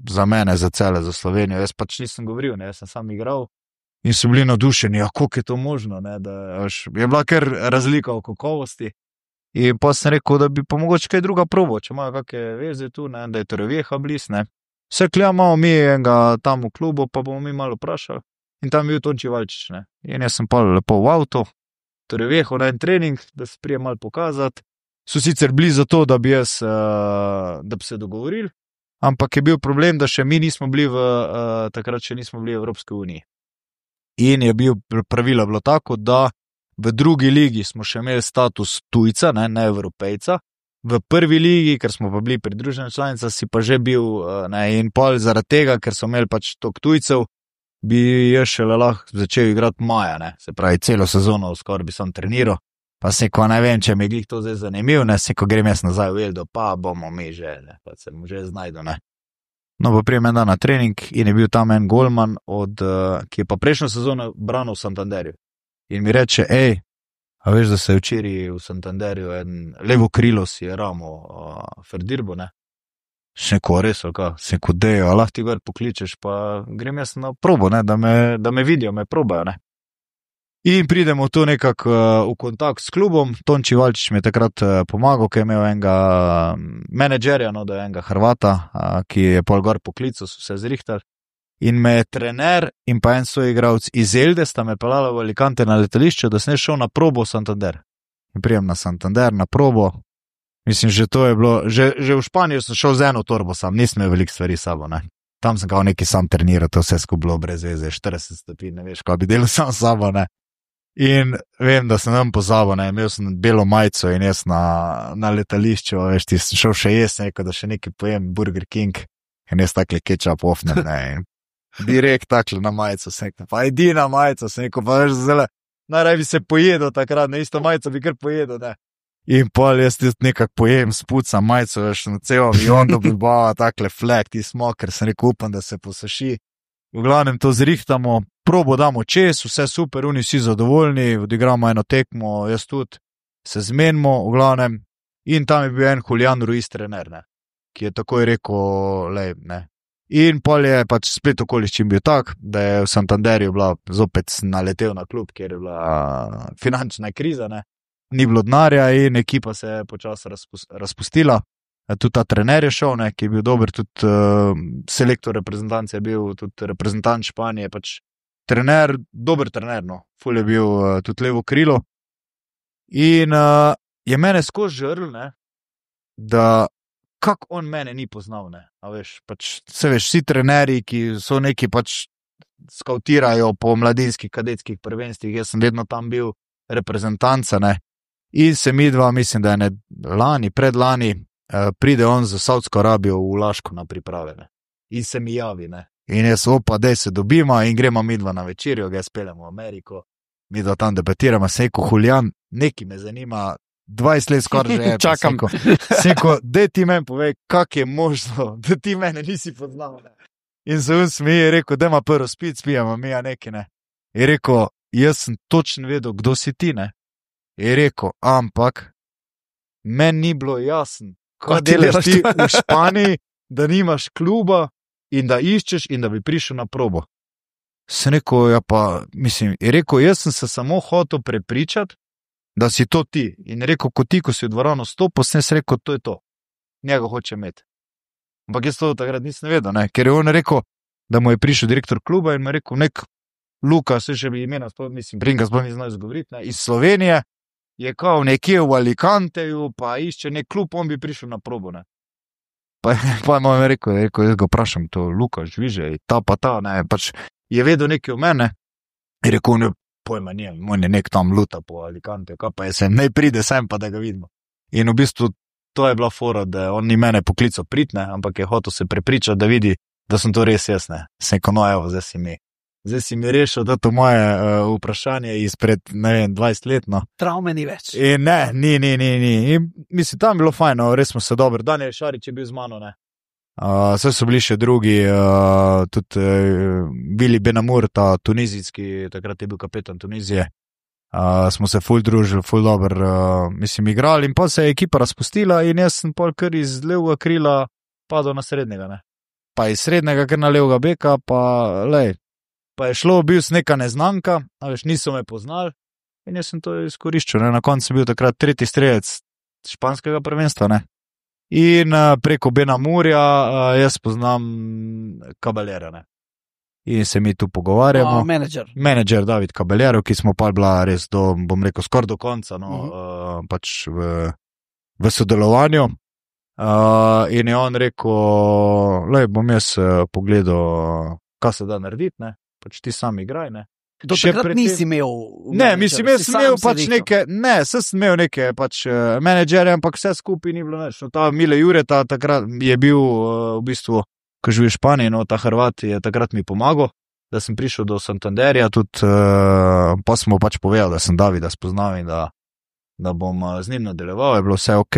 za mene, za Celje, za Slovenijo, jaz pač nisem govoril, ne, jaz sem sam igral in so bili navdušeni, ja, koliko je to možno, ne, da až, je bila kar razlika v kakovosti in pa sem rekel, da bi pa mogoče kaj druga probo, če imajo kakve veze tu, ne, da je Torrevieja bliz, ne, vse klja malo mi enega tam v klubu, pa bomo mi malo vprašali in tam je bil Tonči Valčič, ne, in jaz sem pa lepo v avto, Torreviejo na en trening, da se prije malo pokazati, so sicer bili za to, da bi jaz, uh, da bi se dogovorili, ampak je bil problem, da še mi nismo bili v, uh, takrat še nismo bili v Evropski uniji. In je bil pravilo bilo tako, da v drugi ligi smo še imeli status tujca, ne, ne Evropejca, v prvi ligi, ker smo pa bili pridružena članica, si pa že bil, uh, ne, in pol zaradi tega, ker so imeli pač toliko tujcev, bi jaz šele lahko začel igrati maja, ne, se pravi, celo sezono skoraj bi sam treniral. Pa se, ko ne vem, če mi je glih to zdaj zanimiv, ne, se, ko grem jaz nazaj v Eldo, pa bomo mi že, ne, pa se mu že znajdo, ne. No, pa prijem en dan na trening in je bil tam en golman, od, uh, ki je pa prejšnjo sezono branil v Santanderju. In mi reče, ej, a veš, da se je včeraj v Santanderju en levo krilo si je ramo uh, Ferdirbo, ne. Še neko res, ali ka, se neko dejo, a lahko ti gor pokličeš, pa grem jaz na probo, ne, da me, da me vidijo, me probajo, ne. In pridemo tu nekako uh, v kontakt s klubom, Tonči Valčič mi je takrat uh, pomagal, ker je imel enega menedžerja, no, da je enega Hrvata, uh, ki je pol gor poklical, so se zrihtali. In me je trener in pa en soigralec iz Elde sta me pelala v Alicante na letališče, da sem šel na probo v Santander. In prijem na Santander, na probo. Mislim, že to je bilo, že, že v Španijo sem šel z eno torbo sam, nisem imel veliko stvari sabo, ne. Tam sem kao neki sam treniral, to vse skupaj bilo brez veze, štirideset stopinj, ne veš, kaj bi delal sam sabo, ne. In vem, da sem nam pozabil, ne, imel sem belo majico in jaz na, na letališču, veš, ti sem šel še jesti, neko, da še nekaj pojem Burger King in jaz takle ketchup ofnem, ne, in direkt takle na majico, sem rekel, pa edina majica, sem rekel, pa veš, zelo, najraj bi se pojedel takrat, ne, isto majico bi kar pojedel, ne. In pol jaz ti nekak pojem, spucam majico, veš, na cel avion, da bi bava takle flag, ti smo, ker sem rekel, upam, da se posuši. V glavnem to zrihtamo, probo damo čez, vse super, oni vsi zadovoljni, odigramo eno tekmo, jaz tudi, se zmenimo, v glavnem, in tam je bil en Julian Ruiz trener, ne, ki je takoj rekel, lej, ne. In pol je pač splet okoliščin bil tak, da je v Santanderju bila, zopet naletel na klub, kjer je bila finančna kriza, ne, ni bilo denarja in ekipa se je počasi razpustila. Tudi ta trener je šel, ne, ki je bil dober, tudi uh, selektor reprezentance je bil, tudi reprezentant Španije, pač trener, dober trener, no, ful je bil uh, tudi levo krilo. In uh, je mene skozi žrl, ne, da kako on mene ni poznal, ne, a veš, pač, se veš, vsi trenerji, ki so neki pač skautirajo po mladinskih kadetskih prvenstvih, jaz sem vedno tam bil reprezentanca, ne, in se mi dva, mislim, da je ne lani, predlani, eh, pride on za Saudsko Arabijo v Laško na priprave, ne, in se mi javi, ne, in jaz opa, dej se dobimo in gremo mi dva na večerjo, ga speljamo v Ameriko, mi dva tam debatiramo, sejko Huljan, neki me zanima, dvajset let skoraj že je. Čakam. Sejko, sejko, dej ti meni povej, kak je možno, da ti mene nisi poznal, ne. In se on smije, je rekel, dajma prvo spit, spijamo mi, a neki, ne. Je rekel, jaz sem točno vedel, kdo si ti, ne. Je rekel, ampak, meni ni bilo jasno, kaj delaš ti v Španiji, da nimaš kluba in da iščeš in da bi prišel na probo. Sem rekel, ja pa, mislim, je rekel, jaz sem se samo hotel prepričati, da si to ti. In je rekel, ko ti, ko si v dvorano stopil, sem se rekel, to je to. Njega hoče imeti. Ampak jaz to takrat nisem vedel, ne? Ker je on rekel, da mu je prišel direktor kluba in mu je rekel, nek Luka, se še bi imena, mislim, Bringa sploh ni znal izgovoriti, ne? Iz Slovenije je kao nekje v Alicanteju, pa išče nek klub, on bi prišel na probo, ne. Pa, pa je mu rekel, je rekel, jaz ga vprašam, to Luka, žviže, ta pa ta, ne, pač je vedel nekaj o mene, je rekel, ne, pojma nijem, on je nek tam luta po Alicanteju, kaj pa je sem, ne pride sem, pa da ga vidimo. In v bistvu to je bila fora, da on ni mene poklical pritne, ampak je hotel se prepričati, da vidi, da sem to res jaz, ne. Sem rekel, no evo, zdaj si mi, zdaj si mi rešil, da to moje uh, vprašanje izpred, ne vem, dvajset let, no. Travme ni več. In ne, ni, ni, ni, ni. In mislim, tam bilo fajn, no, res smo se dobro. Daniel Šarič je bil z mano, ne. Uh, vse so bili še drugi, uh, tudi uh, Vili Benamur, ta tunizijski, takrat je bil kapetan Tunizije. Uh, smo se ful družili, ful dober, uh, mislim, igrali in pa se je ekipa razpustila in jaz sem pol kar iz levega krila padel na srednjega, ne. Pa iz srednjega kar na levega beka, pa lej, pa je šlo, bil sem neka neznanka, a veš, niso me poznali in jaz sem to izkoriščil, ne. Na koncu sem bil takrat tretji strelec španskega prvenstva, ne. In uh, preko Benamurja uh, jaz poznam Caballera, ne. In se mi tu pogovarjamo. O, menedžer. Menedžer David Caballero, ki smo pa bila res do, bom rekel, skoraj do konca, no, uh -huh. uh, pač v, v sodelovanju. Uh, in je on rekel, lej, bom jaz uh, pogledal, kaj se da narediti, ne, pač ti sam igraj, ne. Do takrat nisi imel Ne, mislim, jaz sem imel pač neke, ne, sem imel neke pač uh, menedžere, ampak vse skupaj ni bilo nič. No, ta Mile Jureta takrat je bil uh, v bistvu, ko živi v Španiji, no, ta Hrvat je takrat mi pomagal, da sem prišel do Santanderja, tudi uh, pa smo pač povedali, da sem Davida spoznal in da, da bom uh, z njim nadaljeval, je bilo vse ok.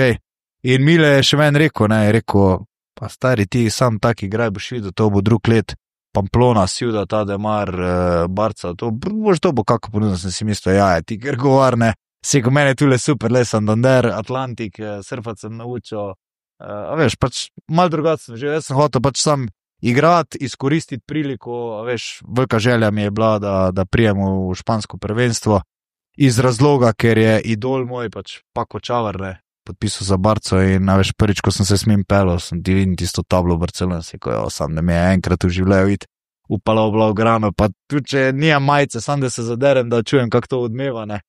In Mile je še meni rekel, ne, je rekel, pa stari ti sam tak igraj, boš videl, to bo drug let, Pamplona, Ciudad, Ademar, uh, Barca, to boš to bo kako ponudno, sem si mislil, ja, ti ker govarne, se ko mene tule super, le Santander, Atlantik, uh, surfat sem naučil, Uh, a veš, pač malo drugače sem že, jaz sem hotel pač sam igrati, izkoristiti priliko, a veš, velika želja mi je bila, da, da prijemo v špansko prvenstvo, iz razloga, ker je idol moj, pač Paco Čavar, ne, podpisal za Barco in, a veš, prvič, ko sem se s njim pelil, sem ti vidim tisto tablo v Barcelona, se ko jo sam, da mi je enkrat v življenju vid, upala v Blaugrano, pa tudi, če nijem majice, sam da se zaderem, da čujem, kako to odmeva, ne.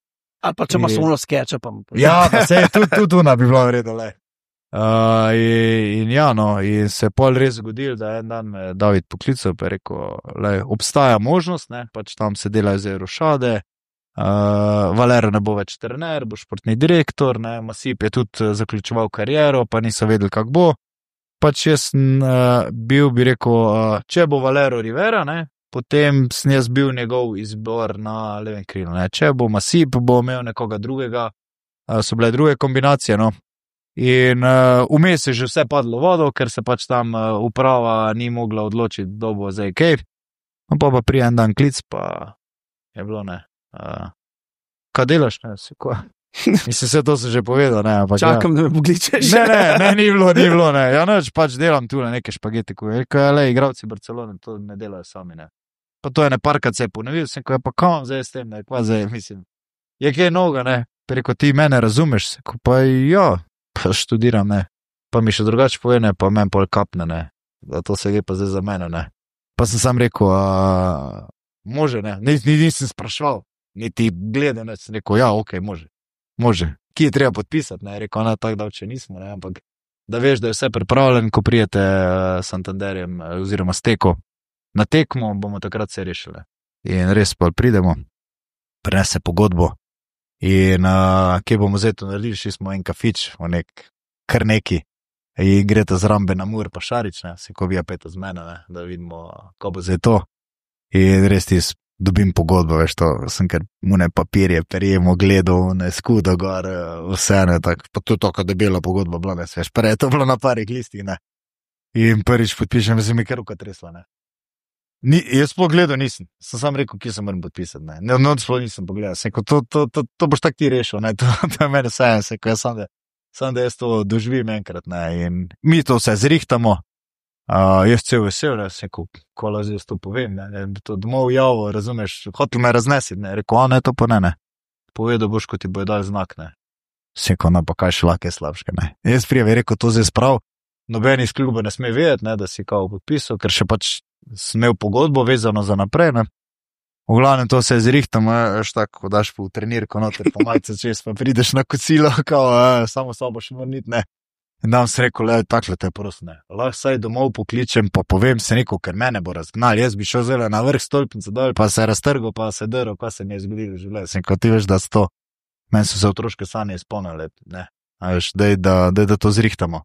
Ali pa če imaš uno skeča, pa... Ja, pa se je tudi, tudi una bi bila vredno, le. Uh, in, in ja, no, in se je pol res zgodil, da en dan me David poklical, pa je rekel, lej, obstaja možnost, ne, pač tam se delajo zdaj rošade, uh, Valero ne bo več trener, bo športni direktor, ne, Masip je tudi zaključeval kariero, pa niso vedeli, kak bo. Pač jaz sem uh, bil, bi rekel, uh, če bo Valero Rivera, ne, potem sem jaz bil njegov izbor na levem krilu, ne, če bo Masip, bo imel nekoga drugega, uh, so bile druge kombinacije, no. In uh, vmes je že vse padlo vodo, ker se pač tam uh, uprava ni mogla odločiti, kdo bo zdaj kaj. No, pa pa prije en dan klic, pa je bilo, ne. Uh, kaj delaš, ne, si ko? Mislim, vse to sem že povedal, ne. Ampak, čakam, ja. Da me pokličeš. Ne, ne, ne, ni bilo, ni bilo, ne. Ja, noč pač delam tu na neke špagete, ko je, kaj, le, igravci Barcelone to ne delajo sami, ne. Pa to je ne parkrat se je ponovil, sem ko je pa kam zdaj s tem, ne, kva zdaj, mislim. Je kaj noga, ne. Preko ti mene razumeš, ko pa ja, pa študiram, ne. Pa mi še drugače pove, ne, pa meni pol kapne, ne. Da to se gre pa zdaj za mene, ne. Pa sem sam rekel, a, može, ne, Nis, nisem sprašval, niti gledam, ne, sem rekel, ja, ok, može, može. Kje je treba podpisati, ne, rekel, ona tak davče nismo, ne, ampak da veš, da je vse pripravljen, ko prijete uh, s Santanderjem uh, oziroma s Teko na tekmo, bomo takrat se rešili. In res pa pridemo, prenese pogodbo. In uh, kje bomo zdaj to naredili, šli smo en kafič, v nek, kar neki, in greta zrambe na Mur pa Šarič, ne, se ko vija peta z mene, ne, da vidimo, ko bo zdaj to. In res ti dobim pogodbo, veš to, sem kar mune papirje, perjemo, gledal, ne, skudo gor, vse, ne, tak, pa to je tako debela pogodba bila, ne, veš, prej je to bilo na parih listih, ne. In prvič podpišem, se mi kar ruka tresla, ne. Ni, jaz sploh gledal nisem, sem sam rekel, kje se moram podpisati, ne, ne, no, sploh nisem pogledal, sem rekel, to, to, to, to boš tak ti rešil, ne, to, to je mene vse, sem rekel, jaz sam da, sam da jaz to doživim enkrat, ne, in mi to vse zrihtamo, uh, jaz cel vesel, ne, sem rekel, ko lazi jaz to povem, ne, ne, to domov javo, razumeš, hotel me raznesiti, ne, rekel, a ne, to pa ne, ne, povedal boš, ko ti bojo dal znak, ne, sem rekel, no, pa kaj še lake slabške, ne, jaz prijavi rekel, to zdaj sprav, noben iz kluba ne sme vedeti, ne, da si kao podpisal, ker še pač sem imel pogodbo vezano za naprej, ne. V glavnem to se zrihtam, veš tako, ko daš po trenirko noter, pa majce čez, pa prideš na kocilo, kao, a, samo sobo še mornit, ne. In dam se rekel, le, takle te prosim, ne. Lahko saj domov pokličem, pa povem se rekel, ker mene bo razgnal, jaz bi šel zelo na vrh stolpnice dol, pa se raztrgal, pa se drl, pa se mi je zgodilo življenje. Sem rekel, ti veš, da sto, meni so se otroške sanje izpolnile, ne. A veš, dej, da, dej, da to zrihtamo.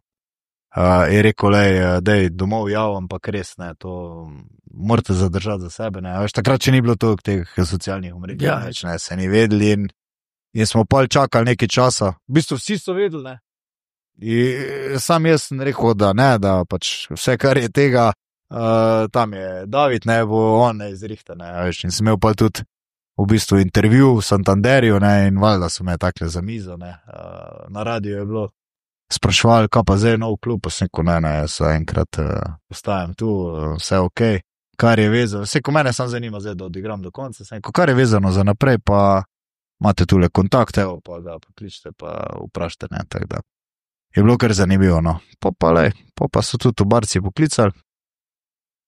Uh, je rekel, lej, dej, domov jav, ampak res, ne, to morate zadržati za sebe, ne, veš, takrat, če ni bilo to teh socialnih omrežij, ja, več, ne, se ni vedeli in, in smo pol čakali nekaj časa, v bistvu vsi so vedeli, ne, in sam jaz sem rekel, da ne, da pač vse, kar je tega, uh, tam je David, ne, bo on ne izrihta, ne, veš, in sem imel pa tudi v bistvu intervju v Santanderju, ne, in valjda so me takle za mizo, ne, uh, na radiju je bilo sprašvali, kaj pa zdaj nov klub, pa sem rekel, ne, ne, jaz enkrat uh, ostajam tu, uh, vse ok, kar je vezano, vse, ko mene sam zanima zdaj, da odigram do konca, sem rekel, kar je vezano za naprej, pa imate tule kontakt, evo, pa ga pokličite, pa vprašajte, ne, tako da. Je bilo kar zanimivo, no, pa pa lej, pa pa so tudi v Barci poklicali,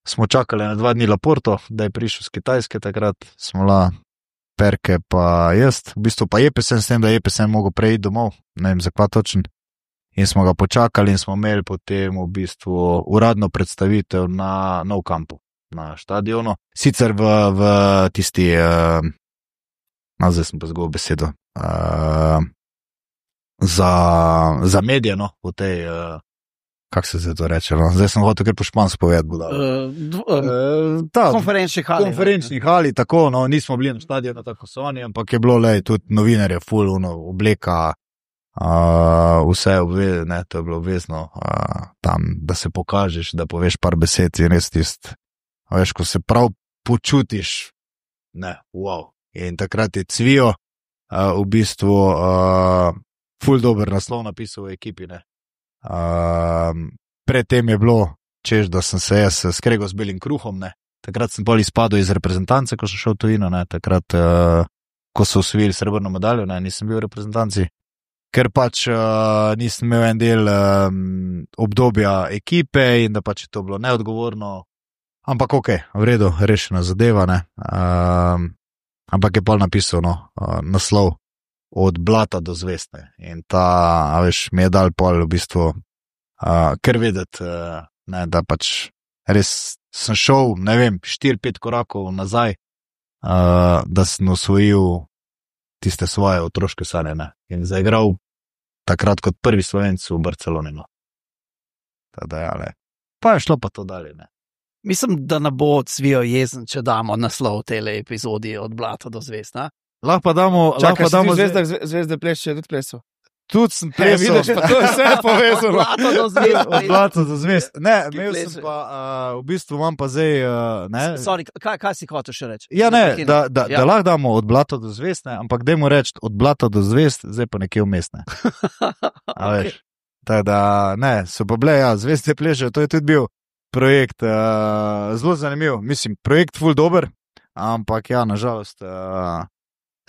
smo čakali na dva dni Laporto, da je prišel z Kitajske, takrat smo la Perke pa jaz, v bistvu pa Jepesen, s tem, da Jepesen mogo preiti domov, ne vem, za kva točen. In smo ga počakali in smo imeli potem v bistvu uradno predstavitev na Nou Campu, na štadionu. Sicer v, v tisti, uh, no, zdaj sem pa zgovoril besedo, uh, za, za medije, no, v tej, uh, kako se zdaj to reče, no, zdaj sem hotel kar po špansko povedati, bo dal. Uh, uh, ta, konferenčni hali. Konferenčni hali, tako, no, nismo bili na štadionu, tako so oni, ampak je bilo, lej, tudi novinarje, full, uno, obleka, Uh, vse obve, ne, to je bilo obvezno uh, tam, da se pokažeš, da poveš par besed in res tist, veš, ko se prav počutiš, ne, wow. In takrat je Cvijo uh, v bistvu uh, ful dober naslov napisal v ekipi, ne. Uh, predtem je bilo, češ, da sem se jaz skregal z belim kruhom, ne. Takrat sem pol izpadel iz reprezentance, ko sem šel v tujino, ne, takrat, uh, ko so osvojili srebrno medaljo, ne, nisem bil v reprezentanci. Ker pač uh, nisem imel en del um, obdobja ekipe in da pač je to bilo neodgovorno, ampak ok, v redu, rešena zadeva, ne. Um, ampak je pol napisal, no, uh, naslov od blata do zvestne in ta, a veš, mi je dal pol v bistvu uh, ker vedeti, uh, ne, da pač res sem šel, ne vem, štiri, pet korakov nazaj, uh, da sem osvojil tiste svoje otroške sanje, ne, in zaigral takrat kot prvi Slovenc v Barceloni, no. Tada, ja, le. Pa je šlo pa to dalje, ne. Mislim, da ne bo Cvijo jezen, če damo naslov tele epizodi od blata do zvezd, ne? Lahko pa damo, Čakaj, lahko pa damo zvezda, zvezde plešče, tudi plesal. Tudi sem plesal. Vidiš, pa to je vse povezano. Od blata do zvezd. Od blata do zvezd. Ne, Ti imel sem plesal. pa, uh, v bistvu imam pa zdaj, uh, ne. Sorry, kaj, kaj si hotel še reči? Ja, ne, da, da, Ja. da lahko damo od blata do zvezd, ne, ampak dajmo reči od blata do zvezd, zdaj pa nekje vmes, ne. A veš, tako da, ne, so pa bile, ja, zvezde plešejo, to je tudi bil projekt, uh, zelo zanimiv, mislim, projekt ful dober, ampak ja, nažalost, uh,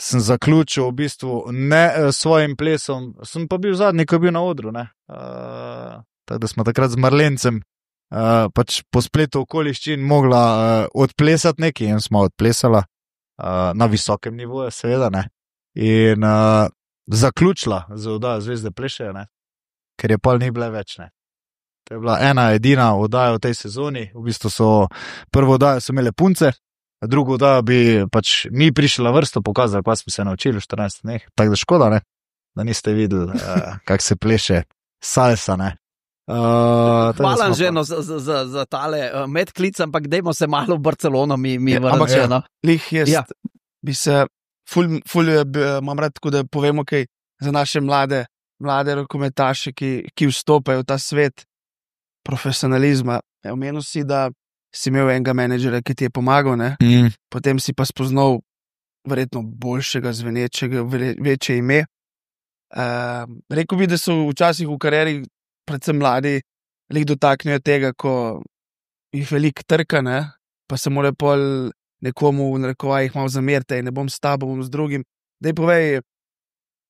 sem zaključil v bistvu ne s svojim plesom, sem pa bil zadnji, ko je bil na odru. Uh, tako da smo takrat z Marlencem uh, pač po spletu okoliščin mogla uh, odplesati nekaj in smo odplesala uh, na visokem nivoju, seveda, ne. In uh, zaključila z oddajo Zvezde plešejo, ne, ker je pol ni bile več, ne. To je bila ena edina oddaja v tej sezoni, v bistvu so prvo oddajo so imele punce, drugo oddajo bi pač mi prišli na vrsto pokazali, pa smo se naučili v štirinajstih dneh, tako da škoda, ne, da niste videli, uh, kako se pleše salsa, ne. Uh, Hvala že no, za, za, za tale uh, medklic, ampak dajmo se malo v Barcelono mi, mi ja, vrniti. Ja, no. Lih jaz Ja. bi se, ful, ful bi, imam rad, tako da povemo kaj za naše mlade, mlade rokometaše, ki, ki vstopajo v ta svet profesionalizma. Ja, omenil si, da si imel enega menedžera, ki ti je pomagal, ne? Mm. Potem si pa spoznal verjetno boljšega, zvenečega, ve- večje ime. Uh, rekel bi, da so včasih v karieri, predvsem mladi, lih dotaknejo tega, ko jih veliko trka, ne? Pa se mora pol nekomu v narekovajih malo zameriti, ne bom s tabo, bom z drugim. Daj povej,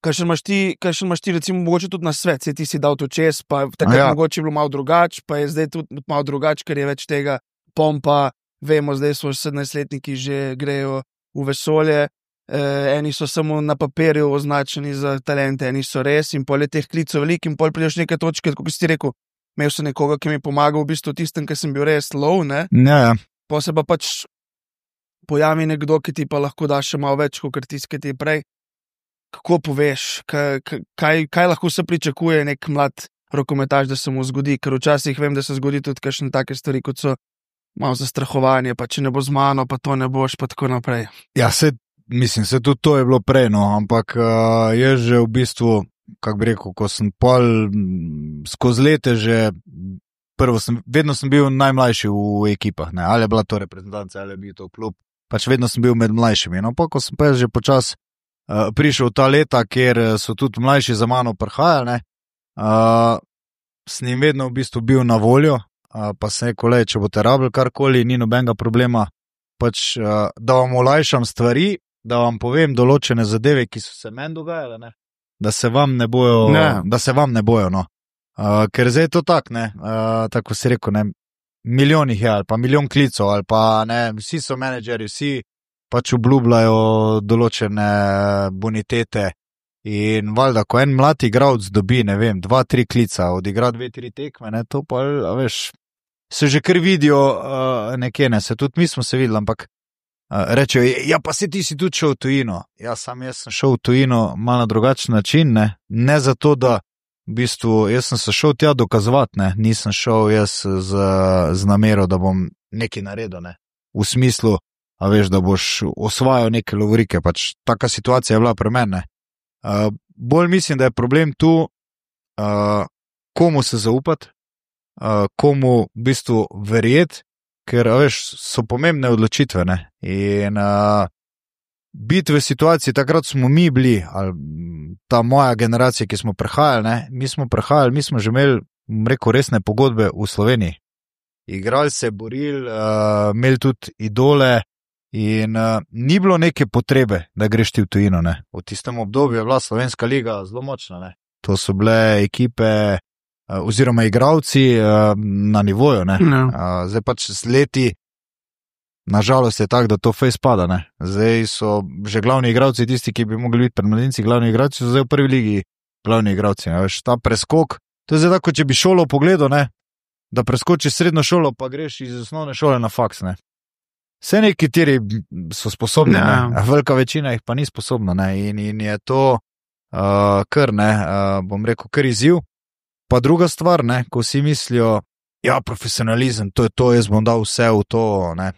kakšen imaš ti, kakšen imaš ti recimo mogoče tudi na svet, se ti si dal to čez, pa takrat Ja. ja. mogoče je bilo malo drugač, pa je zdaj tudi malo drugač, ker je več tega pompa, vemo, zdaj so sedemnajstletniki že grejo v vesolje, eh, eni so samo na papirju označeni za talente, eni so res in pol je teh klicov veliko in pol prideš neke točke, kot si rekel, imel sem nekoga, ki mi je pomagal v bistvu tistem, ki sem bil res low, ne, Ja, ja. pa se pa pač pojavi nekdo, ki ti pa lahko da še malo več, kot tisti, ki ti je prej. Kako poveš, kaj, kaj, kaj lahko se pričakuje nek mlad rokometaš, da se mu zgodi, ker včasih vem, da se zgodi tudi kakšne take stvari, kot so malo zastrahovanje, pa če ne bo z mano, pa to ne boš, pa tako naprej. Ja, se, mislim, se tudi to je bilo prej, no, ampak uh, je že v bistvu, kako bi rekel, ko sem pol m, skozi lete že, prvo sem, vedno sem bil najmlajši v ekipah, ne, ali je bila to reprezentanca, ali je bil to klub, pač vedno sem bil med mlajšimi, no, pa ko sem pa že počas uh, prišel v ta leta, kjer so tudi mlajši za mano prihajali, ne, uh, s njim vedno v bistvu bil na voljo, uh, pa se rekel, le, če boste rabili karkoli, ni nobenega problema, pač, uh, da vam olajšam stvari, da vam povem določene zadeve, ki so se meni dogajale, ne? Da se vam ne bojo, Ne. da se vam ne bojo, no. Uh, ker zdaj je to tak, ne, uh, tako si rekel, ne, milijonih je, ali pa milijon klicov, ali pa ne, vsi so menedžeri, vsi pač obljubljajo določene bonitete in valjda, ko en mlad igralec dobi, ne vem, dva, tri klica, odigra dve, tri tekme, ne, to pa, a veš, se že kar vidijo uh, nekje, ne, se tudi mi smo se videli, ampak uh, rečejo, ja, pa se ti si tudi šel v tujino. Ja, sam jaz sem šel v tujino malo na drugačen način, ne, ne zato, da v bistvu jaz sem se šel tja dokazovati, ne, nisem šel jaz z, z namero, da bom nekaj naredil, ne, v smislu, a veš, da boš osvajal neke lovorike, pač taka situacija je bila pri meni, ne. Uh, bolj mislim, da je problem tu, uh, komu se zaupati, uh, komu v bistvu verjeti, ker, a veš, so pomembne odločitve, ne, in uh, biti v situaciji, takrat smo mi bili, ali ta moja generacija, ki smo prehajali, ne, mi smo prehajali, mi smo že imeli, bom rekel, resne pogodbe v Sloveniji. Igrali se, borili, uh, imeli tudi idole in uh, ni bilo neke potrebe, da greš ti v tujino, ne. V tistem obdobju je bila Slovenska liga zelo močna, ne. To so bile ekipe uh, oziroma igralci uh, na nivoju, ne. No. Uh, zdaj pač z leti nažalost je tako, da to fejs pada, ne. Zdaj so že glavni igralci, tisti, ki bi mogli biti pred mladinci glavni igralci, so zdaj v prvi ligi glavni igralci, ne. Veš, ta preskok, to je zdaj tako, če bi šolo pogledal, ne, da preskočiš srednjo šolo, pa greš iz osnovne šole na faks, ne. Vse nekateri so sposobni, Ja. ne, velika večina jih pa ni sposobna, ne, in, in je to uh, kar, ne, uh, bom rekel, kar izziv. Pa druga stvar, ne, ko vsi mislijo, ja, profesionalizem, to je to, jaz bom dal vse v to, ne.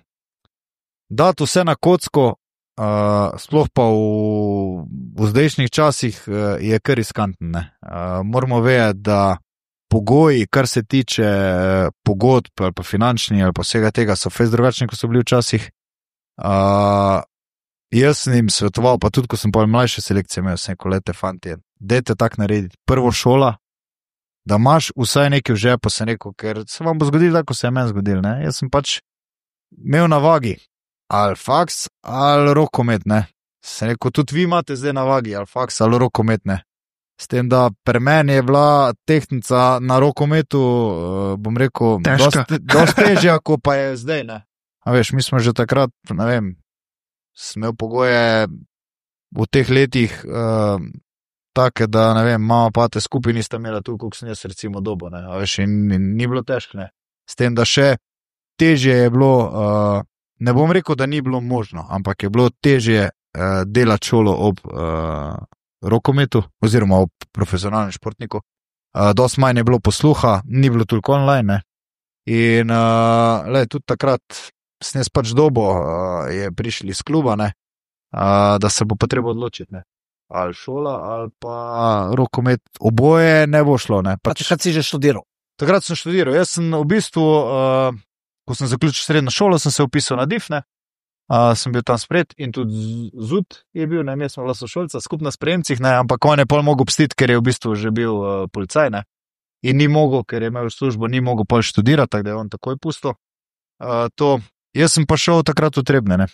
Dati vse na kocko, uh, sploh pa v, v zdajšnjih časih uh, je kar riskantno, ne. Uh, moramo vedeti, da pogoji, kar se tiče uh, pogodb ali pa finančni ali pa vsega tega, so fejs drugačni, kot so bili včasih. Uh, jaz sem jim svetoval, pa tudi, ko sem pa mlajše selekcije imel, sem rekel, lete, fantje, dajte tak narediti. Prvo šola, da imaš vsaj nekaj v žepu, sem rekel, ker se vam bo zgodilo, tako se je meni zgodilo, ne. Jaz sem pač imel na vagi ali faks ali rokomet, ne. Se rekel, tudi vi imate zdaj na vagi, ali faks, ali rokometne. S tem, da pri meni je bila tehnica na rokometu, bom rekel, dosti težja, kot pa je zdaj, ne. A veš, mi smo že takrat, ne vem, smel pogoje v teh letih uh, take, da, ne vem, mama pa te skupaj nista imela tu, koliko sem jaz recimo dobo, ne. A veš, in, in ni bilo težko, ne. S tem, da še težje je bilo, uh, ne bom rekel, da ni bilo možno, ampak je bilo težje uh, delati šolo ob uh, rokometu oziroma ob profesionalnem športniku. Uh, dosti manj je bilo posluha, ni bilo toliko online, ne. In uh, le, tudi takrat sem jaz pač dobo, uh, je prišli iz kluba, ne, uh, da se bo potrebo odločiti, ne. Ali šola, ali pa rokomet, oboje ne bo šlo, ne. Pač, takrat si že študiral? Takrat sem študiral. Jaz sem v bistvu, uh, ko sem zaključil srednjo šolo, sem se upisal na D I F, ne. Uh, sem bil tam sprejet in tudi Z U D je bil, ne, mi smo bila sošolca, skupaj na sprejemcih, ne, ampak on je pol mogel pustiti, ker je v bistvu že bil uh, policaj, ne. In ni mogel, ker je imel službo, ni mogel pol študirati, tako da je on takoj pustil. Uh, to, jaz sem pa šel takrat v Trebnje, ne.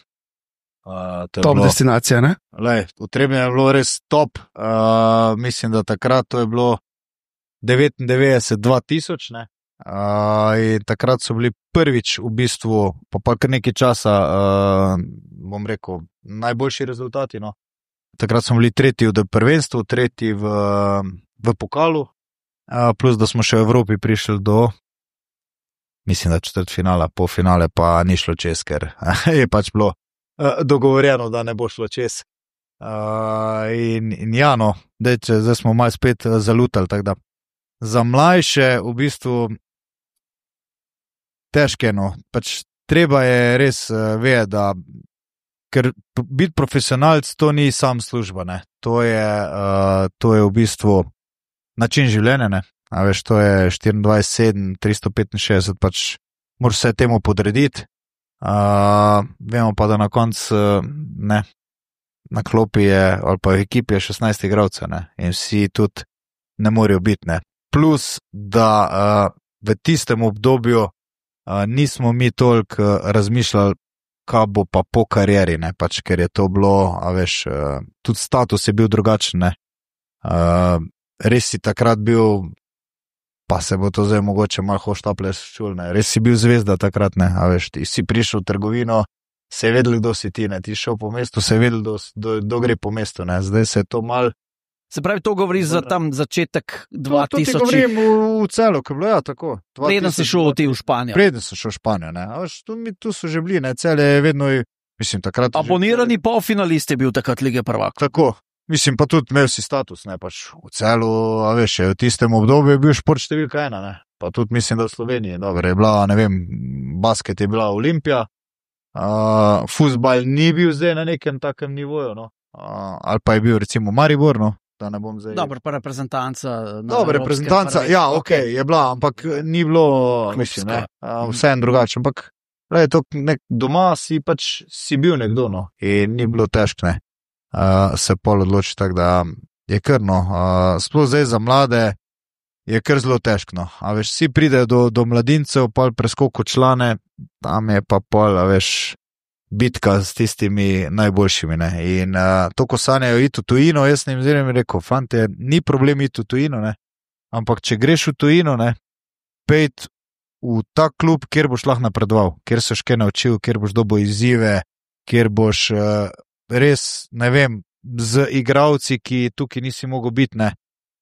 Uh, top bilo, destinacija, ne? Lej, v Trebnje je bilo res top, uh, mislim, da takrat to je bilo devetindevetdeset dva tisoč, ne. Uh, in takrat so bili prvič v bistvu, pa pa kar nekaj časa, uh, bom rekel, najboljši rezultati, no. Takrat smo bili tretji v prvenstvu, tretji v, v pokalu, uh, plus da smo še v Evropi prišli do, mislim, da četrtfinala, polfinale pa ni šlo čez, ker je pač bilo uh, dogovorjeno, da ne bo šlo čez. Uh, in, in ja, no, dej, zdaj smo malo spet zalutali, tako da za mlajše v bistvu težke, no, pač treba je res uh, vedeti, da ker biti profesionalc to ni sam služba, ne, to je, uh, to je v bistvu način življenja, ne, a veš, to je štiriindvajset sedem, tristo petinšestdeset, pač moraš se temu podrediti, uh, vemo pa, da na koncu, uh, ne, na klopi je, ali pa v ekipi je šestnajst igralcev, ne, in vsi tudi ne morejo biti, ne. Plus, da uh, v tistem obdobju uh, nismo mi toliko uh, razmišljali, kaj bo pa po karieri, ne, pač, ker je to bilo, a veš, uh, tudi status je bil drugačen, ne. Uh, res si takrat bil, pa se bo to zdaj mogoče malo hoštaple čul, ne, res si bil zvezda takrat, ne, a veš, ti si prišel v trgovino, se je vedel, kdo si ti, ne, ti šel po mestu, se je vedel, kdo, kdo, kdo gre po mestu, ne, zdaj se je to mal. Se pravi, to govori za tam začetek dva tisoč. To, to ti govorim v, v celo, ko je bilo, ja, tako. Preden si šel ti v Španijo. Preden sem šel v Španijo, ne. A veš, tu, tu so že bili, ne, cele je vedno, mislim, takrat. Abonirani že, polfinalist je bil takrat Lige prvakov. Tako, mislim, pa tudi imel si status, ne, pač v celu, a veš, v tistem obdobju je bil šport številka ena, ne. Pa tudi mislim, da v Sloveniji, dobro, je bila, ne vem, basket je bila Olimpija, uh, fuzbal ni bil zdaj na nekem takem nivoju, no, uh, ali pa je bil recimo Maribor, no. Zdaj... Dobro, pa reprezentanca. Dobro, reprezentanca, ja, ok, je bila, ampak ni bilo, mislim, ne, vse en drugače, ampak le, to, nek, doma si pač si bil nekdo, no, in ni bilo težko, ne, uh, se pol odloči, tako da je kar, no, uh, sploh zdaj za mlade je kar zelo težko, no, a veš, vsi pridejo do, do mladincev, pol preskoko člane, tam je pa pol, a veš, bitka s tistimi najboljšimi, ne, in uh, to, ko sanjajo iti v tujino, jaz ne jim rekel, fante, ni problem iti v tujino, ne, ampak če greš v tujino, ne, pejt v ta klub, kjer boš lahko napredoval, kjer se še naučil, kjer boš dobil izzive, kjer boš uh, res, ne vem, z igralci, ki tukaj nisi mogel biti, ne,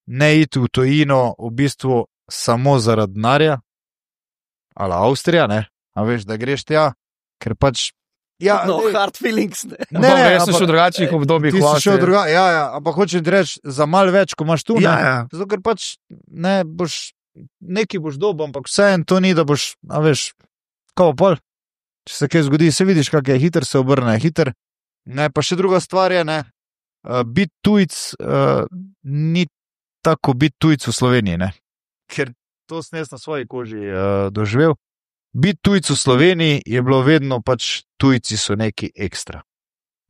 ne iti v tujino v bistvu samo zaradi denarja, ali Avstrija, ne, a veš, da greš tja, ker pač ja, no, ne, hard feelings, ne. Ne, ne, jaz sem še v drugačnih obdobjih. Ti si še v drugačnih, ja, ja, ampak hočeš reči za malo več, ko imaš tu, ja, ne, ja. Zato, ker pač, ne, boš, neki boš dobil, ampak vseeno to ni, da boš, a veš, kao pol, če se kaj zgodi, se vidiš, kak je, hiter se obrne, hiter, ne, pa še druga stvar je, ne, uh, biti tujc, uh, ni tako biti tujc v Sloveniji, ne, ker to sem jaz na svoji koži uh, doživel. Biti tujc v Sloveniji je bilo vedno pač tujci so neki ekstra,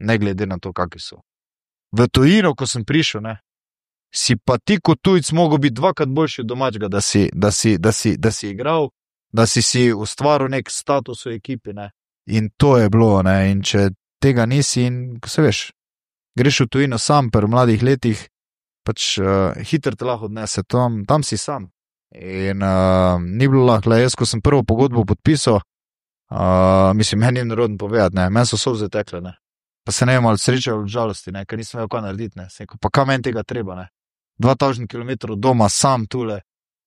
ne glede na to, kakvi so. V tujino, ko sem prišel, ne, si pa ti kot tujc mogel biti dvakrat boljši od domačega, da si, da si, da si, da si igral, da si si ustvaril nek status v ekipi, ne, in to je bilo, ne, in če tega nisi, in ko se veš, greš v tujino sam, pri mladih letih, pač uh, hitro te lahko odnese, tam, tam si sam. In uh, ni bilo lahko, jaz, ko sem prvo pogodbo podpisal, uh, mislim, meni je narodno povedati, ne, meni so solze tekle, ne. Pa se ne vem, ali sreče ali žalosti, ne, ker nisem vejo, kaj narediti, ne. Sem rekel, pa kaj meni tega treba, ne. Dva tisoč kilometrov doma, sam tule,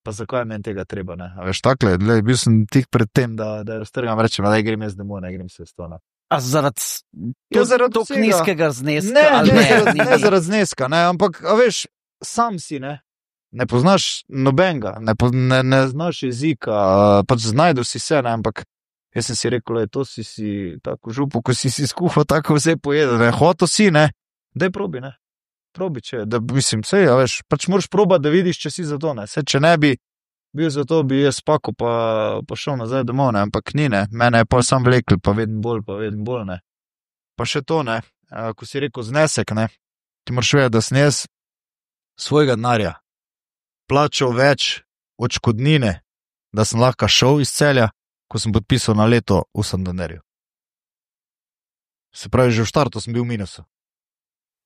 pa zakaj meni tega treba, ne. A veš, takle, le, bil sem tik pred tem, da, da raztrgam, rečem, da grem jaz domov, ne grem se s to, ne. A zaradi Ja, zaradi to vsega. nizkega zneska? Ne, ali ne, ne, zaradi, ni- ne zaradi zneska, ne, ampak, a veš, sam si, ne, ne poznaš nobenega, ne, po, ne, ne znaš jezika, uh, pač znajdu si se, ne, ampak jaz sem si rekel, le, to si si tako župo, ko si si skuhal, tako vse pojedel, ne, hoto si, ne, daj probi, ne, probi, če, da, mislim, sej, a veš, pač moraš probati, da vidiš, če si za to, ne, se, če ne bi bil za to, bi jaz spako pa, pa šel nazaj domov, ne, ampak ni, ne, mene je pa sam vlekel, pa vedno bolj, pa vedno bolj, ne. Pa še to, ne, uh, ko si rekel znesek, ne, ti moraš vedeti, da sem jaz svojega denarja plačal več odškodnine, da sem lahko šel iz Celja, ko sem podpisal na leto v Santanderju. Se pravi, že v štartu sem bil v minusu.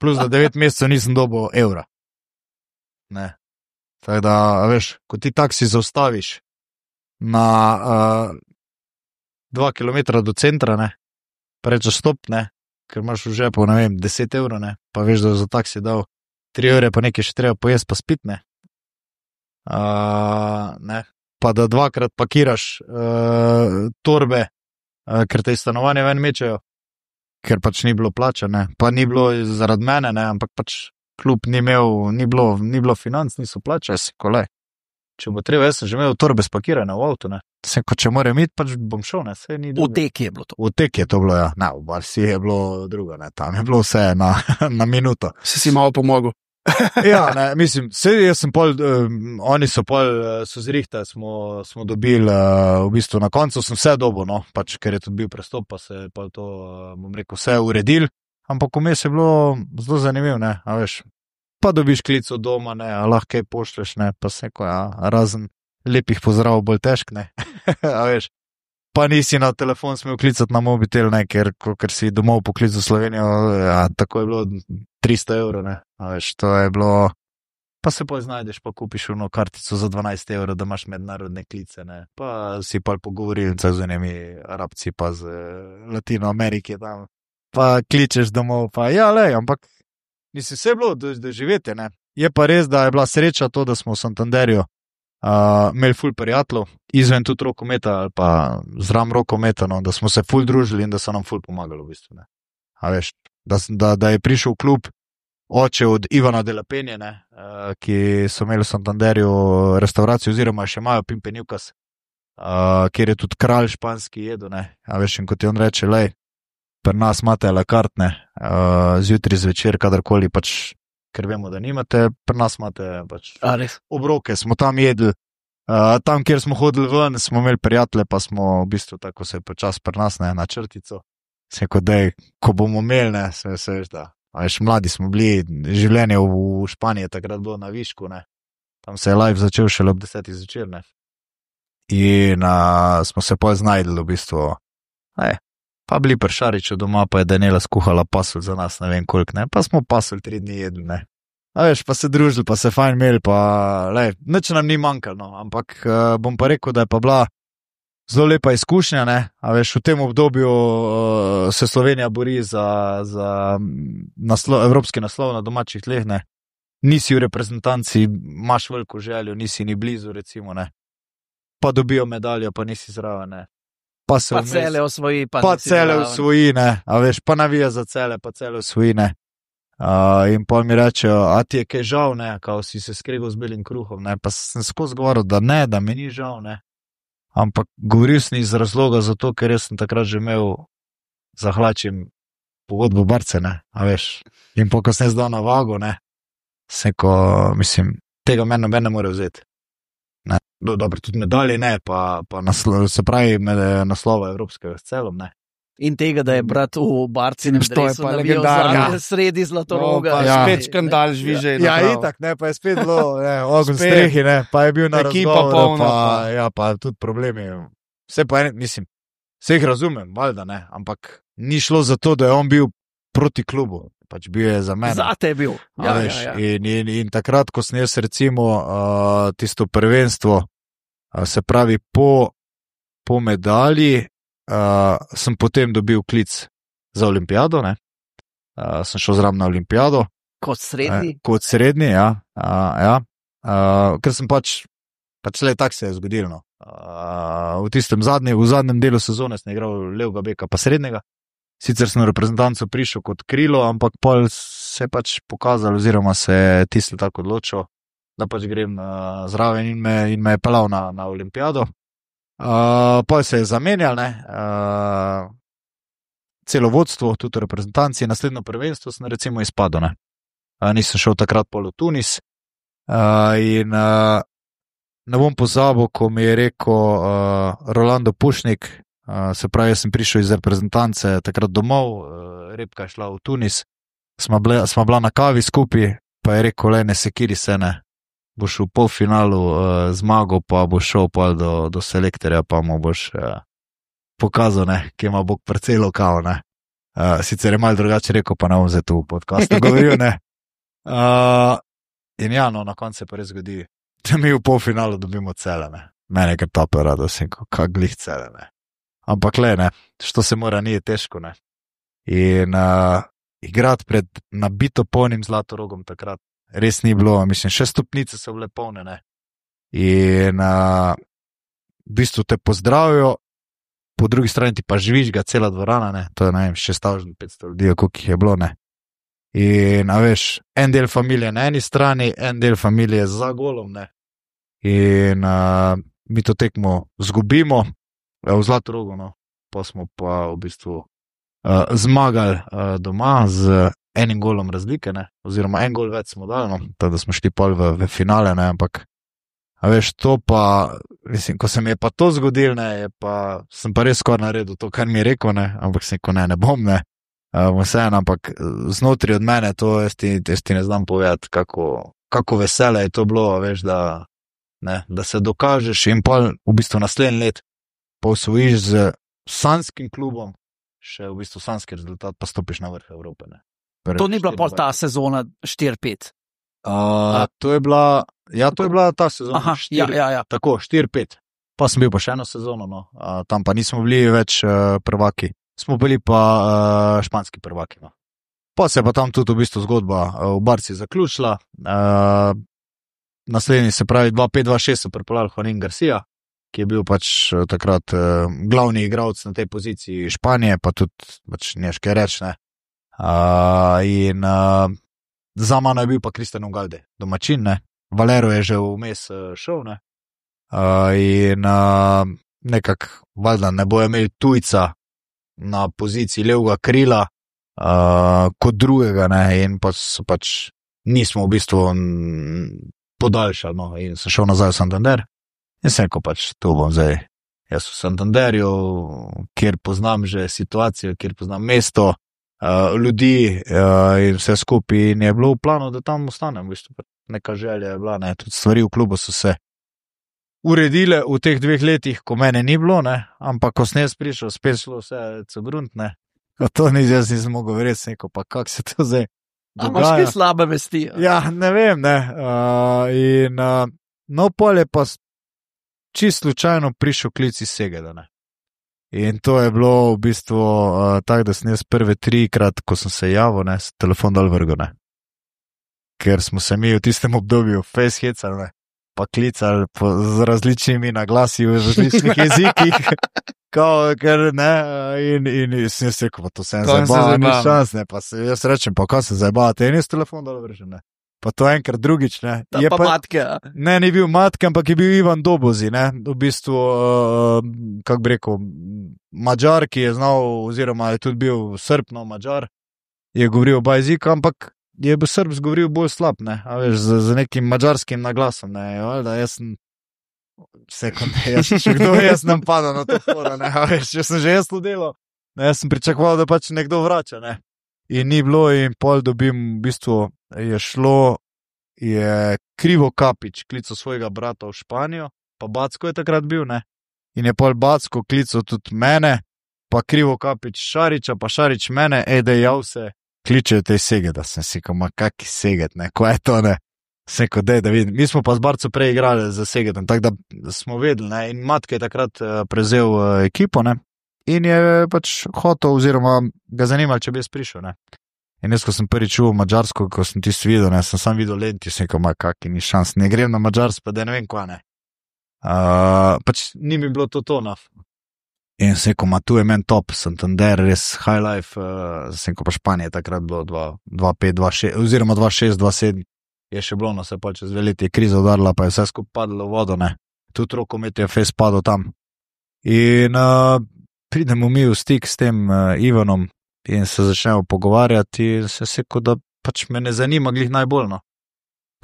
Plus da devet mesecev nisem dobil evra. Ne. Tako da, a veš, ko ti taksi zaustaviš na uh, dva kilometra do centra, ne, pa rečeš stop, ne, ker imaš v žepu, ne vem, deset evrov, ne, pa veš, da za taksi dal tri evre, pa nekaj še treba pojesti, pa spit, ne. Uh, ne. Pa da dvakrat pakiraš uh, torbe, uh, ker te iz stanovanja ven mečejo, ker pač ni bilo plačane, pa ni bilo zaradi mene, ne, ampak pač klub ni imel, ni bilo, ni bilo financ, niso plačali, si kolej. Če bo treba, jaz sem že imel torbe spakirane v avtu, ne. Se, ko če moram iti, pač bom šel, ne, saj ni drugo. V teki je bilo to. V tek je to bilo, ja. Ne, v Barsi je bilo drugo, ne, tam je bilo vse na, na minuto. Si si malo pomogel. Ja, ne, mislim, sej jaz sem pol, um, oni so pol, uh, so zrihte, smo, smo dobili, uh, v bistvu na koncu sem vse dobil, no, pač, ker je tudi bil prestop, pa se je pol to, uh, bom rekel, vse uredil, ampak vmes je bilo zelo zanimivo, ne, a veš, pa dobiš klic od doma, ne, a lahko kaj pošleš, ne, pa se ko, ja, razen lepih pozdrav bolj težk, ne, a veš, pa nisi na telefon smel klicati na mobitel, ne, ker, ker si domov poklical Slovenijo, ja, tako je bilo tristo evrov, ne, a veš, to je bilo, pa se pa znajdeš, pa kupiš ono kartico za dvanajst evrov, da imaš mednarodne klice, ne, pa si pa pogovoril z unimi Arabci, pa z Latino Amerike tam, pa kličeš domov, pa ja, lej, ampak nisi vse bilo do, do živeti, ne, je pa res, da je bila sreča to, da smo v Santanderju Uh, imeli ful prijateljev, izven tudi rokometa ali pa zram rokometa, no, da smo se ful družili in da so nam ful pomagali v bistvu. Ne. A veš, da, da, da je prišel v klub oče od Ivana de la Penje, ne, uh, ki so imeli v Santanderju restauracijo oziroma še imajo Pimpenivkas, uh, kjer je tudi kralj španski jedo, ne. A veš, in kot ti on reče, lej, pri nas imate la carte, ne, uh, zjutraj zvečer, kadarkoli pač, ker vemo, da nimate, pri nas imate pač A res? obroke, smo tam jedli, uh, tam, kjer smo hodili ven, smo imeli prijatelje, pa smo v bistvu tako se počas pri nas, ne, na črtico. Se kot dej, ko bomo imeli, ne, se, se veš, da, a veš, mladi smo bili, življenje v, v Španiji takrat bilo na višku, ne, tam se je live začel šele ob desetih zvečer, ne, in uh, smo se pa znajdli v bistvu, ne, pa bili pri Šariču doma, pa je Daniela skuhala pasulj za nas, ne vem koliko, ne, pa smo pasulj tri dni jedli, ne. A veš, pa se družili, pa se fajn imeli, pa lej, nič nam ni manjkalo, no, ampak uh, bom pa rekel, da je pa bila zelo lepa izkušnja, ne, a veš, v tem obdobju uh, se Slovenija bori za, za naslov, evropski naslov na domačih tleh, ne, nisi v reprezentanci, imaš veliko željo, nisi ni blizu, recimo, ne, pa dobijo medaljo, pa nisi zraven, ne. Pa se Pa vmes, cele osvoji, pa, pa nisi cele zraven. usvoji, ne, a veš, pa navija za cele, pa cele usvoji, ne. Uh, in pa mi rečejo, a ti je kaj žal, ne, kao si se skregal z belim kruhom, ne, pa sem skozi govoril, da ne, da mi ni žal, ne, ampak govoril sem iz razloga zato, ker jaz sem takrat že imel zahlačim pogodbo Barce, ne, a veš, in pa ko sem zdal na vago, ne, se ko, mislim, tega meni noben ne more vzeti. Ne, do, dobro, tudi medalje ne, pa, pa naslo, se pravi med naslova evropskega s celom, ne. In tega, da je brat v Barcinem To je dresu pa navijal legendarno. zadnje sredi Zlatoroga. No, pa Ja. spet škandal žviže. Ja, itak, ne, pa je spet bilo, ne, ogen Spet. strehi, ne, pa je bil na Ekipa razgovoru, polna, pa, pa. ja, pa tudi problemi. Vse pa, en, mislim, vse jih razumem, valjda, ne, ampak ni šlo za to, da je on bil proti klubu. pač bil je za mene. Zate je bil. A Ja, veš, ja, ja. In, in, in takrat, ko sem jaz recimo uh, tisto prvenstvo, uh, se pravi po, po medalji, uh, sem potem dobil klic za olimpijado, ne? Uh, sem šel zraven na olimpijado. Kot srednji. Uh, kot srednji, ja. Uh, ja. Uh, ker sem pač, pač le tak se je zgodilo. No. Uh, v tistem zadnjem, v zadnjem delu sezone sem igral levega beka pa srednjega. Sicer sem v reprezentanco prišel kot krilo, ampak pol se je pač pokazal oziroma se je tisto tako odločil, da pač grem uh, zraven in me, in me je pelal na, na olimpijado. Uh, pol se je zamenjal, ne. Uh, celo vodstvo, tudi v reprezentanci, naslednjo prvenstvo sem recimo izpadel, ne. Uh, nisem šel takrat pol v Tunis uh, in uh, ne bom pozabil, ko mi je rekel uh, Rolando Pušnik, uh, se pravi, jaz sem prišel iz reprezentance takrat domov, uh, Repka je šla v Tunis, sva bila, sva bila na kavi skupaj, pa je rekel, le ne sekiri se, ne, boš v polfinalu uh, zmagal, pa boš šel pa do, do selektorja, pa mu boš uh, pokazal, ne, kje ima Bog parcelo kao, ne. Uh, sicer je malo drugače rekel, pa ne bom zdaj tu v podcastu govoril, ne. Uh, in ja, no, na koncu se pa res zgodi, da mi v polfinalu dobimo Celje, ne. Mene kar tope rado, sem kak glih Celje, ne. Ampak le, ne, što se mora, ni težko, ne. In uh, igrati pred nabito polnim Zlatorogom takrat res ni bilo, mislim, še stopnice so bile polne, ne. In uh, v bistvu te pozdravijo, po drugi strani ti pa žvižga cela dvorana, ne, to je, ne vem, šest tisoč petsto ljudi, koliko jih je bilo, ne. In, a veš, en del familije na eni strani, en del familije za golom, ne. In uh, mi to tekmo zgubimo v Zlatorogu, no, pa smo pa v bistvu uh, zmagali uh, doma z enim golom razlike, ne, oziroma en gol več smo dali, no, tako da smo šli pol v, v finale, ne, ampak, a veš, to pa, mislim, ko se mi je pa to zgodilo, ne, je pa, sem pa res skoraj naredil to, kar mi je rekel, ne, ampak sem rekel, ne, ne bom, ne. Uh, vseeno, ampak znotraj od mene to jaz ti, jaz ti ne znam povedati, kako, kako vesele je to bilo, veš, da, ne, da se dokažeš in pol v bistvu naslednji let pa osvojiš z sanskim klubom, še v bistvu sanski rezultat, pa stopiš na vrh Evrope. Ne. To ni bila pol ta sezona štiri pet. Uh, to je bila, ja, to je bila ta sezona. Aha, štiri, ja, ja, ja. Tako, štiri pet. Pa sem bil pa še eno sezono, no. Uh, tam pa nismo bili več uh, prvaki. Smo bili pa uh, španski prvaki. No. Pa se je pa tam tudi v bistvu zgodba uh, v Barci zaključila. Uh, naslednji, se pravi dva pet dva šest, so pripeljali Juanín García, ki je bil pač uh, takrat uh, glavni igralec na tej poziciji Španije, pa tudi pač neške rečne. Uh, in uh, za mano je bil pa Cristian Ugalde, domačin, ne. Valero je že vmes uh, šel, ne. Uh, in uh, nekako, valjda, ne bojo imeli tujca na poziciji levega krila uh, kot drugega, ne, in pa so pač nismo v bistvu podaljšali, no, in sem šel nazaj v Santander in sem rekel pač, to bom zdaj jaz v Santanderju, kjer poznam že situacijo, kjer poznam mesto, uh, ljudi uh, in vse skupaj, in je bilo v planu, da tam ostanem, v bistvu neka želja je bila, ne, tudi stvari v klubu so se uredile v teh dveh letih, ko mene ni bilo, ne, ampak ko sem jaz prišel, spet šlo vse cogrunt, ne, to ni, jaz nisem mogel verjeti, sem rekel, pa kak se to zdaj dogaja. A imaš kaj slabe vesti? Ja, ne vem, ne, uh, in uh, no, pol je pa čisto slučajno prišel klic iz Segeda, ne, in to je bilo v bistvu uh, tako, da sem jaz prve trikrat, ko sem se javil, ne, telefon dal vrgo, ne, ker smo se mi v tistem obdobju face hecali, ne, pa klicali po, z različnimi naglasi v različnih jezikih, kao, ker ne, in, in, in sem se rekel, pa to sem zabava, ni šans, ne, pa se jaz rečem, pa kaj se zabava, te je nis telefon dal vrgo, ne, pa to enkrat drugič, ne. Ta je pa, pa matke. Ne, ni bil matke, ampak je bil Ivan Dobozi, ne, v bistvu, uh, kako bi rekel, Mađar, ki je znal, oziroma je tudi bil Srb, no, Mađar, je govoril oba jezika, ampak je bil Srb zgovoril bolj slab, ne, a veš, z, z nekim mađarskim naglasom, ne, valjda, jaz sem, sekunde, jaz še kdo, jaz nam pada na to fora, ne, a veš, če sem že jaz to delal, ne, jaz sem pričakoval, da pač nekdo vrača, ne, in ni bilo, in pol dobim, v bistvu, je šlo, je Krivo Kapič klical svojega brata v Španijo, pa Backo je takrat bil, ne, in je pol Backo klical tudi mene, pa Krivo Kapič Šariča, pa Šarič mene, ej, da jav se kličejo te Segeda, sem si rekel, ma kaki Seged, ne, ko je to, ne. Sem rekel, dej, da vidim. Mi smo pa z Barco prej igrali za Segedom, tako da smo vedeli, ne, in Matke je takrat prevzel ekipo, ne, in je pač hotel, oziroma ga zanimalo, če bi jaz prišel, ne. In jaz, ko sem prvič čuval Madžarsko, ko sem tisto videl, ne, sem sam videl lenti, sem rekel, ma kaki ni šans, ne grem na Madžarsko, pa da ne vem kva, ne. Uh, pač ni mi bilo to to, no. In sem rekel, ma tu je men top, Santander, res high life, uh, sem rekel, pa Španija takrat bilo dva pet, dva šest, oziroma dva šest, dva sedem, je še bilo, no, se pa čez dve leti je kriza udarila, pa je vse skupaj padlo v vodo, ne. Tudi rokomet je fez padel tam. In uh, pridemo mi v stik s tem uh, Ivanom in se začnemo pogovarjati in se rekel, da pač me ne zanima glih najbolj, no.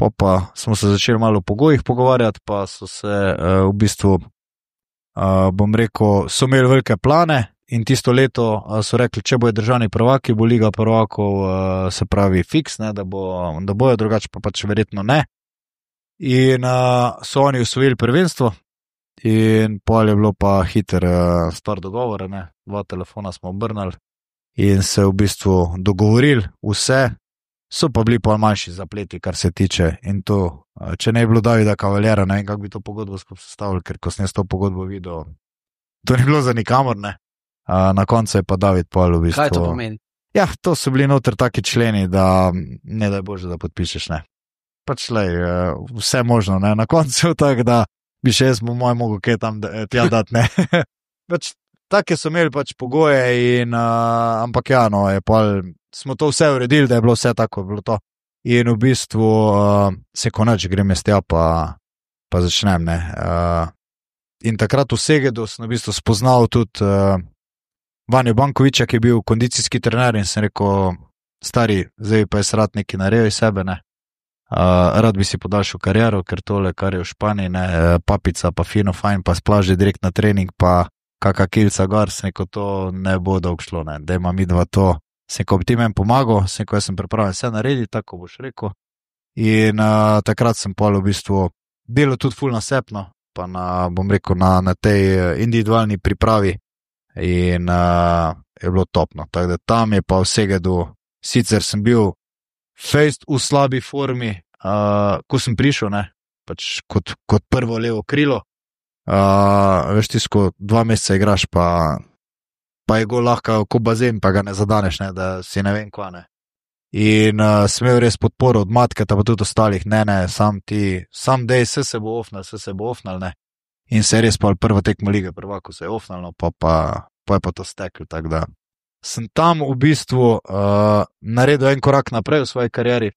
Pa pa smo se začeli malo o pogojih pogovarjati, pa so se uh, v bistvu, uh, bom rekel, so imeli velike plane in tisto leto uh, so rekli, če bojo državni prvaki, bo Liga prvakov, uh, se pravi fiks, ne, da, bo, da bojo, drugače pa pač verjetno ne. In uh, so oni osvojili prvenstvo in pol je bilo pa hiter uh, stvar dogovora, ne, dva telefona smo obrnili in se v bistvu dogovorili vse. So pa bili pa manjši zapleti, kar se tiče, in to, če ne bi bilo Davida Kavaljera, ne vem, kako bi to pogodbo skupaj sestavili, ker ko sem jaz to pogodbo videl, to ni bilo za nikamor, ne. Na koncu je pa David pol v bistvu. Kaj to pomeni? Ja, to so bili noter taki členi, da ne daj Bože, da podpišeš, ne. Pač lej, vse možno, ne, na koncu tako, da bi še jaz po mojem mogo kaj tam tja dati, ne. Pač take so imeli pač pogoje in, uh, ampak ja, no, je pol, smo to vse uredili, da je bilo vse tako, bilo to. In v bistvu uh, se konač grem jaz tja, pa, pa začnem, ne. Uh, in takrat v Segedu sem v bistvu spoznal tudi uh, Vanjo Bankoviča, ki je bil kondicijski trener in sem rekel, stari, zdaj pa je rad nekaj naredil iz sebe, ne. Uh, rad bi si podaljšal kariero, ker tole, kar je v Španiji, ne, papica, pa fino, fajn, pa splaži direkt na trening, pa kaka kilca gor, sem rekel, to ne bo dolgo šlo, ne, da ima midva to. Sem rekel, bi ti meni pomagal, sem rekel, jaz sem pripravljen vse narediti, tako boš rekel. In uh, takrat sem pol v bistvu delal tudi ful nasepno, pa na, bom rekel, na, na tej individualni pripravi in uh, je bilo topno. Tako da tam je pa v Segedu, sicer sem bil fejst v slabi formi, uh, ko sem prišel, ne, pač kot, kot prvo levo krilo. Uh, veš, tisko dva meseca igraš, pa, pa je gol lahko kot bazen, pa ga ne zadaneš, ne, da si ne vem kva, ne. In uh, sem imel res podporo od Matke, pa tudi ostalih, ne, ne, sam ti, sam dej, vse se bo ofnal, vse se bo ofnal, ne. In se je res pa prva tekma lige prvako se je ofnal, no, pa, pa, pa je pa to stekl, tako da sem tam v bistvu uh, naredil en korak naprej v svoji karieri,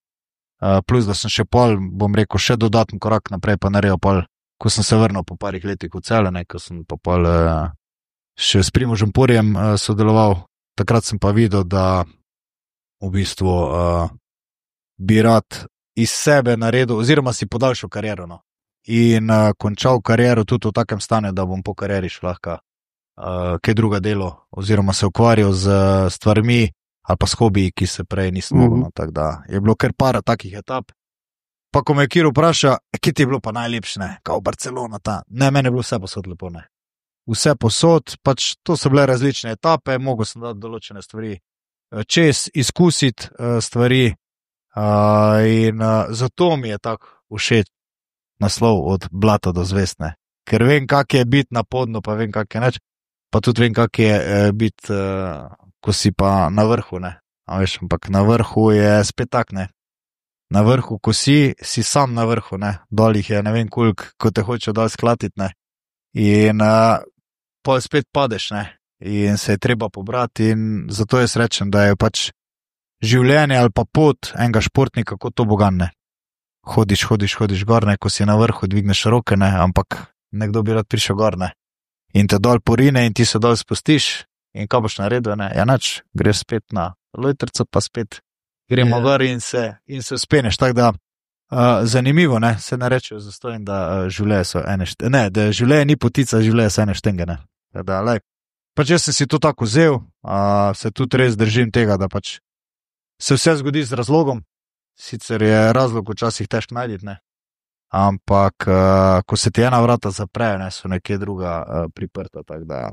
uh, plus da sem še pol, bom rekel, še dodatni korak naprej, pa naredil pol, ko sem se vrnil po parih letih v Celje, ko sem pa pol uh, še s Primožem Purjem uh, sodeloval, takrat sem pa videl, da v bistvu uh, bi rad iz sebe naredil, oziroma si podaljšal kariero, no. In uh, končal kariero tudi v takem stanju, da bom po karieri šel lahko uh, kaj druga delo, oziroma se ukvarjal z stvarmi ali pa s hobiji, ki se prej nisem mogel, mm-hmm. no, tako da je bilo kar par takih etap. Pa ko me Kiro vpraša, kje ti je bilo pa najlepše, ne, kao Barcelona ta, ne, meni je bilo vse posod lepo, ne. Vse posod, pač to so bile različne etape, mogel sem dati določene stvari čez, izkusiti uh, stvari uh, in uh, zato mi je tako všeč naslov od blata do zvestne, ker vem, kak je biti na podnu, pa vem, kak je neč, pa tudi vem, kak je uh, biti, uh, ko si pa na vrhu, ne, a veš, ampak na vrhu je spet tak, ne. Na vrhu, ko si, si sam na vrhu, ne, dol jih je ne vem koliko, ko te hoče dol sklatiti, ne, in uh, pa spet padeš, ne, in se je treba pobrati in zato jaz rečem, da je pač življenje ali pa pot enega športnika kot to bogan, ne. Hodiš, hodiš, hodiš gor, ne, ko si na vrhu, dvigneš roke, ne, ampak nekdo bi rad prišel gor, ne, in te dol porine in ti se dol spustiš in kaj boš naredil, ne, ja nač, greš spet na lojtrco, pa spet gremo gor in se, in se speneš, tako da uh, zanimivo, ne, se ne rečejo zastojim, da uh, življenje so ene štenge, ne, da življenje ni potica, življenje so ene štenge, ne, da, lej, pač jaz sem si to tako vzel, uh, se tudi res držim tega, da pač se vse zgodi z razlogom, sicer je razlog včasih težko najditi, ne, ampak uh, ko se ti ena vrata zaprejo, ne, so nekje druga uh, priprta, tako da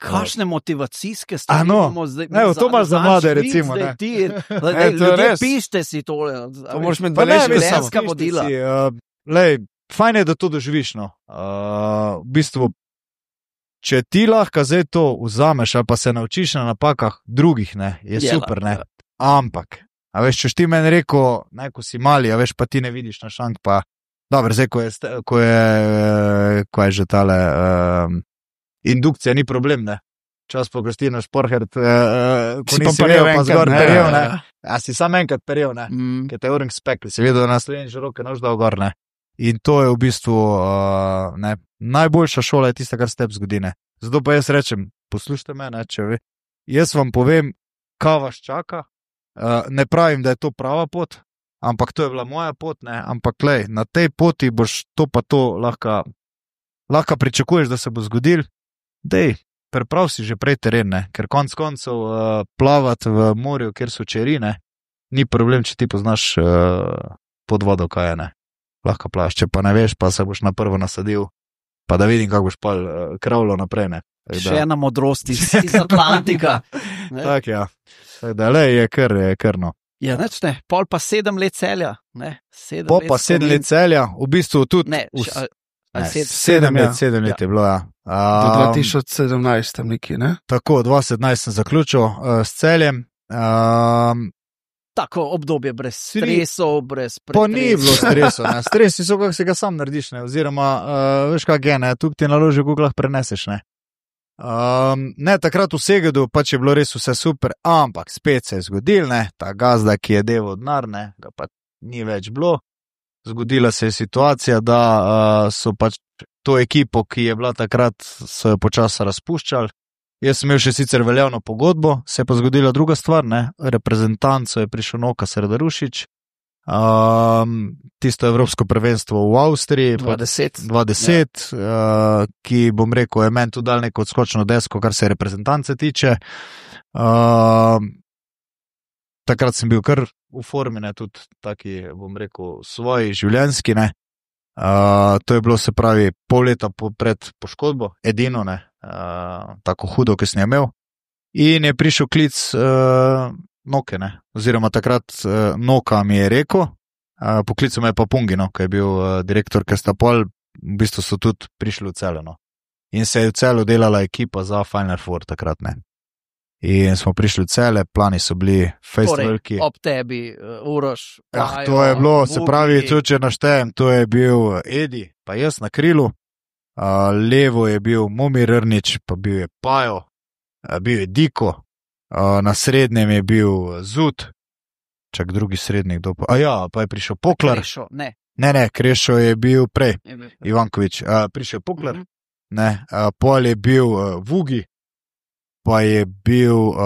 Kakšne motivacijske A, stvari no. imamo zdaj? Evo, to imaš za mlade, recimo, Zdaj ne. ti, E, to je ljudje, res. pište si tole. To moraš imeti Pa ne, beležko mislim, samo. življenjska vodila. Si, uh, lej, fajn je, da to doživiš. No. Uh, v bistvu, če ti lahko zdaj to vzameš ali pa se naučiš na napakah drugih, ne, je Je super. Ne. lahko. Ampak, a veš, če ti meni rekel, ne, ko si mali, a veš, pa ti ne vidiš na šank, pa dobro, zdaj, ko je, ste- ko je, eh, ko je že tale um, indukcija, ni problem, ne. Čas po Kristino Šporhert, uh, ko Si pa nisi perjel imel, pa enkrat, zgor ne. perjel, ne. A si sam enkrat perjel, ne. Mm. Ki te je uring spekli, si videl, da na Sloveniji že roke nož dal gor, ne. In to je v bistvu uh, ne, najboljša šola je tista, kar se tebi zgodi, ne. Zato pa jaz rečem, poslušajte me, ne, če vi. Jaz vam povem, kaj vas čaka. Uh, ne pravim, da je to prava pot, ampak to je bila moja pot, ne. Ampak lej, na tej poti boš to pa to lahko, lahko pričakuješ, da se bo zgodil. Dej, preprav si že prej teren, ne. Ker konc koncev uh, plavati v morju, kjer so čerine, ni problem, če ti poznaš uh, pod vodo, kaj je, ne. Lahko plavaš, če pa ne veš, pa se boš na prvo nasadil, pa da vidim, kako boš pa uh, kravlo naprej, ne. Tako Še da- ena modrost iz, iz Atlantika. Ne? Tako, ja. Tako da, lej, je kar, je kar no. Ja, neč ne, pol pa sedem let celja. Ne? Sedem Po let pa sedem let Slovenije. celja, v bistvu tudi. Ne, v- še- ali- ali ne, sedem. sedem ja. let, sedem let Ja. je bilo, ja. Do Um, dva tisoč sedemnajst tam neki, ne? Tako, dva tisoč sedemnajst sem zaključil uh, s celjem. Um, Tako obdobje brez Tri- stresov, brez Pa ni bilo pretresov. stresov, ne. Stresi so, kako se ga sam narediš, ne. Oziroma, uh, veš, kak je, ne, tu ti naloži, kako lahko preneseš, ne. Um, ne, takrat v Segedu pač je bilo res vse super, ampak spet se je zgodil, ne, ta gazda, ki je deval denar, ne, ga pa ni več bilo. Zgodila se je situacija, da uh, so pač to ekipo, ki je bila takrat, so jo počasi razpuščali. Jaz sem imel še sicer veljavno pogodbo, se je pa zgodila druga stvar, ne, reprezentanco je prišel Noka Sredarušič, um, tisto evropsko prvenstvo v Avstriji, pa dvajset. dvajset, uh, ki bom rekel, je meni tu dal neko odskočno desko, kar se reprezentance tiče. Uh, takrat sem bil kar v formi, ne, tudi taki, bom rekel, svoji življenjski, ne. Uh, to je bilo, se pravi, pol leta po, pred poškodbo, edino, ne, uh, tako hudo, ki sem jo imel. In je prišel klic uh, Noke, ne, oziroma takrat uh, Noka mi je rekel, uh, poklical me je pa Pungino, ki je bil uh, direktor, ker sta pol, v bistvu so tudi prišli v Celje, no. In se je v Celju delala ekipa za Final Four takrat, ne. In smo prišli v Celje, plani so bili face Torej, veliki. ob tebi, uh, Uroš. Ja, Pajo, to je bilo, se Vuki. pravi, tudi če naštejem, to je bil Edi, pa jaz na krilu, uh, levo je bil Momir Rnič, pa bil je Pajo, uh, bil je Diko, uh, na srednjem je bil Zut, čak drugi srednjik, kdo pa, a ja, pa je prišel Poklar, Krešo, ne. ne, ne, Krešo je bil prej, je bil- Ivankovič, uh, prišel Poklar, Mhm. ne, uh, pol je bil uh, Vugi, pa je bil, uh,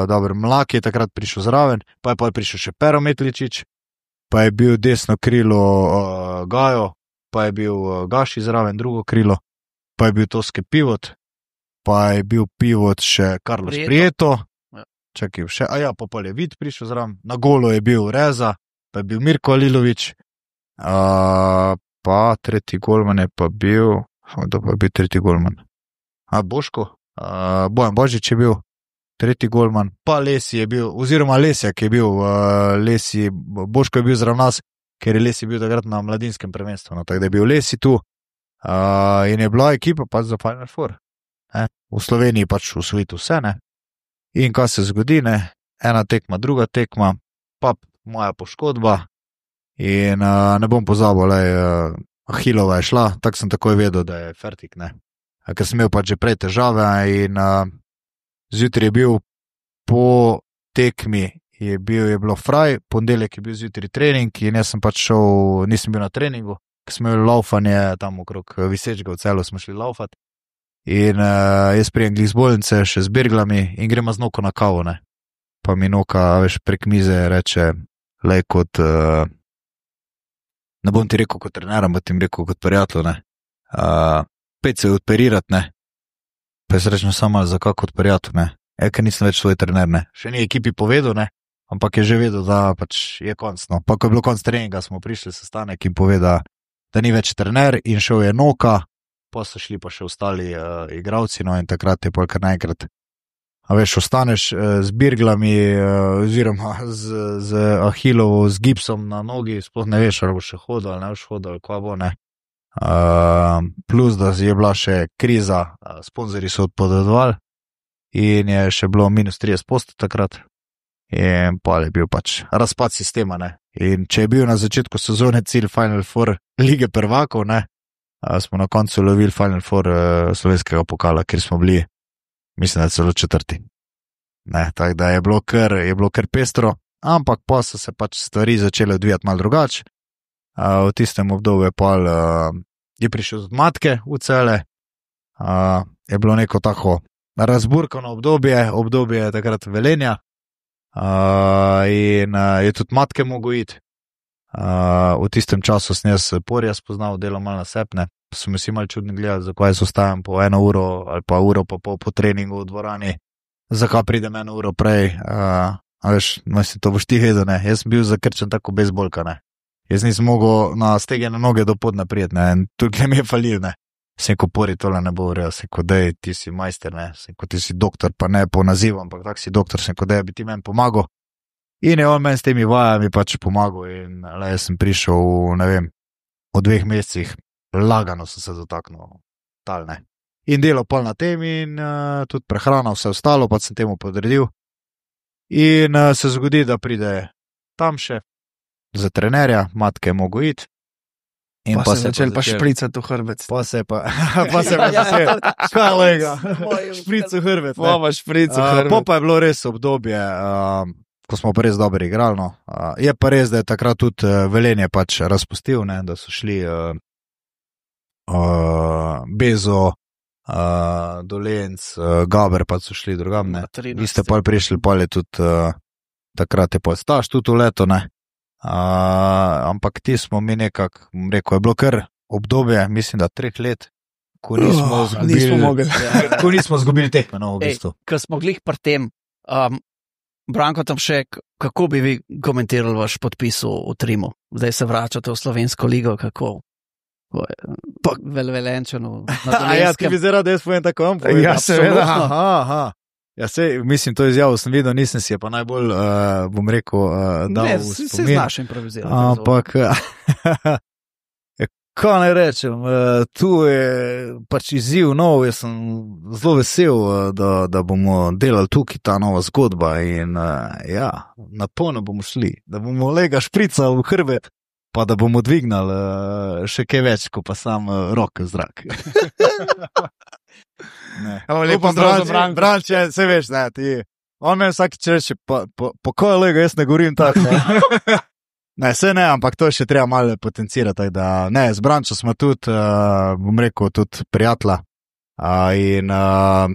dobro, Mlak je takrat prišel zraven, pa je pa prišel še Pero Metličič, pa je bil desno krilo uh, Gajo, pa je bil uh, Gaši zraven drugo krilo, pa je bil Toske Pivot, pa je bil Pivot še Carlos Prieto. Prieto, Ja. čakaj, še, a ja, pa pol je Vid prišel zraven, na golo je bil Reza, pa je bil Mirko Alilovič, uh, pa tretji golman je pa bil, kdo pa je bil tretji golman? A Boško? Uh, Bojan Božič je bil tretji golman, pa Lesi je bil, oziroma Lesjak je bil, uh, Lesi, Boško je bil zraven nas, ker je Lesi bil takrat na mladinskem prvenstvu, no, tako da je bil Lesi tu uh, in je bila ekipa pač za Final Four. Ne? V Sloveniji pač v svetu vse, ne. In kaj se zgodi, ne, ena tekma, druga tekma, pa moja poškodba in uh, ne bom pozabil, le, uh, Ahilova je šla, tako sem takoj vedel, da je fertik, ne. Ker sem imel pač že prej težave in uh, zjutraj je bil po tekmi, je, bil, je bilo fraj, ponedeljek je bil zjutraj trening in jaz sem pač šel, nisem bil na treningu, ker smo imeli laufanje tam okrog Visečega v Celju, smo šli laufati in uh, jaz prijem glih z bolnice še z berglami in gremo z Noko na kavo, ne. Pa mi Noka, veš, prek mize reče, lej kot, uh, ne bom ti rekel kot trener, ampak ti rekel kot prijatelj, ne. Uh, pet se operirati, ne. Pa jaz rečem samo, zakaj kot prijatelj, ne. E, ker nisem več svoj trener, ne. Še ni ekipi povedal, ne, ampak je že vedel, da pač je konc, no. Pa ko je bilo konc treninga, smo prišli sestanek in povedal, da ni več trener in šel je Noka pa so šli pa še ostali uh, igravci, no in takrat je pa kar naenkrat. A veš, ostaneš uh, z birglami, uh, oziroma z, z ahilovo, z gipsom na nogi, sploh ne veš, ali bo še hodil, ali ne boš hodil, ali kva bo, ne. Uh, plus, da je bila še kriza, uh, sponzorji so odpovedovali in je še bilo minus trideset posto takrat. In pa je bil pač razpad sistema, ne. In če je bil na začetku sezone cilj Final Four lige prvakov, ne, smo na koncu lovili Final Four uh, slovenskega pokala, kjer smo bili, mislim, da celo četrti. Ne, tako da je bilo kar, je bilo kar pestro, ampak pa so se pač stvari začele odvijati malo drugače. Uh, v tistem obdobju je pa uh, je prišel z matke v cele, uh, je bilo neko tako razburkano obdobje, obdobje takrat Velenja. Uh, in uh, je tudi matke mogel iti. Uh, v tistem času sem jaz Porja spoznal, delal malo na sepne, so mi si malo čudni gledali, zakaj so ostajam po eno uro ali pa uro pa pol po treningu v dvorani, zakaj pridem eno uro prej. Uh, a veš, mislim, to boš ti vedel, ne, jaz sem bil zakrčen tako bejzbolka, ne, jaz nisem mogel na stegene noge do pod naprijeti, ne, in tukaj mi je falil, ne. Sem ko Pori tole ne bo vrel, sem ko dej, ti si majster, ne, sem ko ti si doktor, pa ne po nazivu, ampak tak si doktor, sem ko dej, bi ti meni pomagal. In je on meni s temi vajami pač pomagal in le, jaz sem prišel, ne vem, v dveh mesecih, lagano sem se dotaknil, tal, ne. In delal pol na tem in uh, tudi prehrana, vse ostalo, pa sem temu podredil. In uh, se zgodi, da pride tam še za trenerja, matke je mogel iti. In pa, pa se je začel pa špricati v hrbet. Pa se je pa, pa se je pa začel, škalega, špric v hrbet. Pa pa špric v hrbet. Uh, pa je bilo res obdobje, uh, ko smo pa res dobro igrali, no. Uh, je pa res, da je takrat tudi uh, Velenje pač razpustil, ne, da so šli uh, uh, Bezo, uh, Dolenc, uh, Gaber pa so šli drugam, ne. Vi ste pa prišli, pa je tudi, uh, takrat je pa Staš tudi v leto, ne. Uh, ampak ti smo mi nekako, rekel, je bilo kar obdobje, mislim, da treh let, ko nismo uh, zgubili, nismo mogli. ko nismo zgubili tekme, no, v bistvu. Ej, ko smo glih pri tem, um, Branko tam še, kako bi vi komentirali vaš podpis v Trimu? Zdaj se vračate v slovensko ligo, kako? Pa velvelenčeno. A ja, ti bi zdaj rad, da jaz povem tako, vam povem. Ja, seveda. Aha, aha. Ja, sej, mislim, to izjavo sem videl, nisem si je pa najbolj, uh, bom rekel, uh, dal ne, v spomin. Ne, si znaš improvizirati. Ampak, kaj naj rečem, uh, tu je pač izziv nov, jaz sem zelo vesel, uh, da, da bomo delali tukaj ta nova zgodba in uh, ja, na polno bomo šli, da bomo lega šprica v hrbet, pa da bomo dvignali uh, še kaj več, ko pa sam uh, roke v zrak. Ne. Lepo zdrav za Branko. Branče, se veš, ne, ti. On me vsaki reče, pa, pa, pa ko je lega, jaz ne govorim tako. Ne, ne, se ne, ampak to je še treba malo potencirati, da ne, z Brančo smo tudi, uh, bom rekel, tudi prijatelja. Uh, in uh,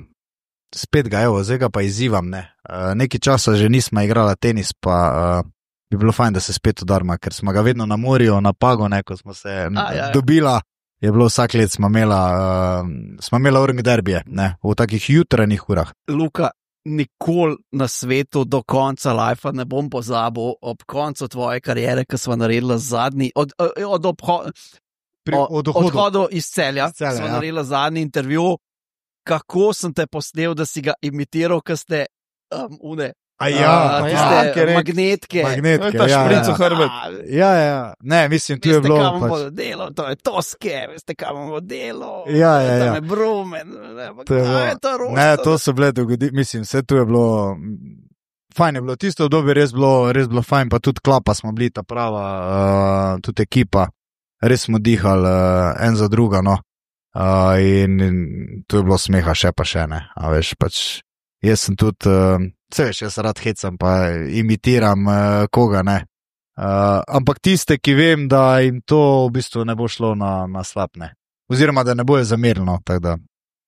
spet ga, evo, zdaj ga pa izzivam, ne. Uh, nekaj časa že nismo igrala tenis, pa uh, bi bilo fajn, da se spet udarma, ker smo ga vedno na morju, na Pago, ne, ko smo se A, ja, ja. dobila. Je bilo vsak let, smo imela, uh, smo imela urnik derbije, ne, v takih jutranjih urah. Luka, nikoli na svetu do konca lajfa ne bom pozabil ob koncu tvoje karijere, ki smo naredili zadnji, od, od, od, obho, Pri, od odhodu iz Celja, iz Celja smo ja. naredili zadnji intervju, kako sem te posnel, da si ga imitiral, ko ste um, une. A ja, uh, tiste ja, magnetke. Magnetke, ta ja, špric v ja. hrbet. Ja, ja, ne, mislim, tu je bilo. Veste, kam pač... bomo delo, to je toske, veste, kam bomo delo. Ja, ja, ja. Tam je Brumen, ne, To je kaj bilo- je to rosto? Ne, to so bile dogodi, mislim, vse tu je bilo, fajn je bilo, tisto obdobje res bilo, res bilo fajn, pa tudi klapa smo bili ta prava, uh, tudi ekipa, res smo dihali uh, en za druga, no, uh, in, in tu je bilo smeha še pa še, ne, a veš, pač, jaz sem tudi, uh, vse veš, jaz rad hecam, pa imitiram uh, koga, ne, uh, ampak tiste, ki vem, da jim to v bistvu ne bo šlo na, na slab, ne, oziroma da ne bojo zamerno, tako da.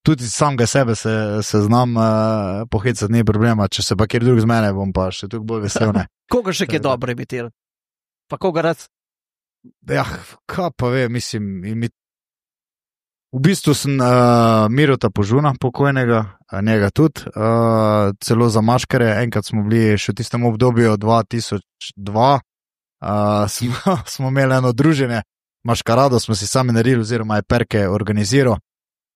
Tudi samega sebe se, se znam uh, pohecati, ni problema, če se pa kjer drug z mene, bom pa še tukaj bolj vesel, ne. Koga še kaj dobro imitirati? Pa koga rad? Ja, kaj pa ve, mislim, imi... v bistvu sem uh, Mirota Požuna pokojnega, a njega tudi, uh, celo za maškare, enkrat smo bili še v tistem obdobju dva tisoč dva, uh, smo, smo imeli eno druženje, maškarado smo si sami naredili, oziroma je Perke organiziral.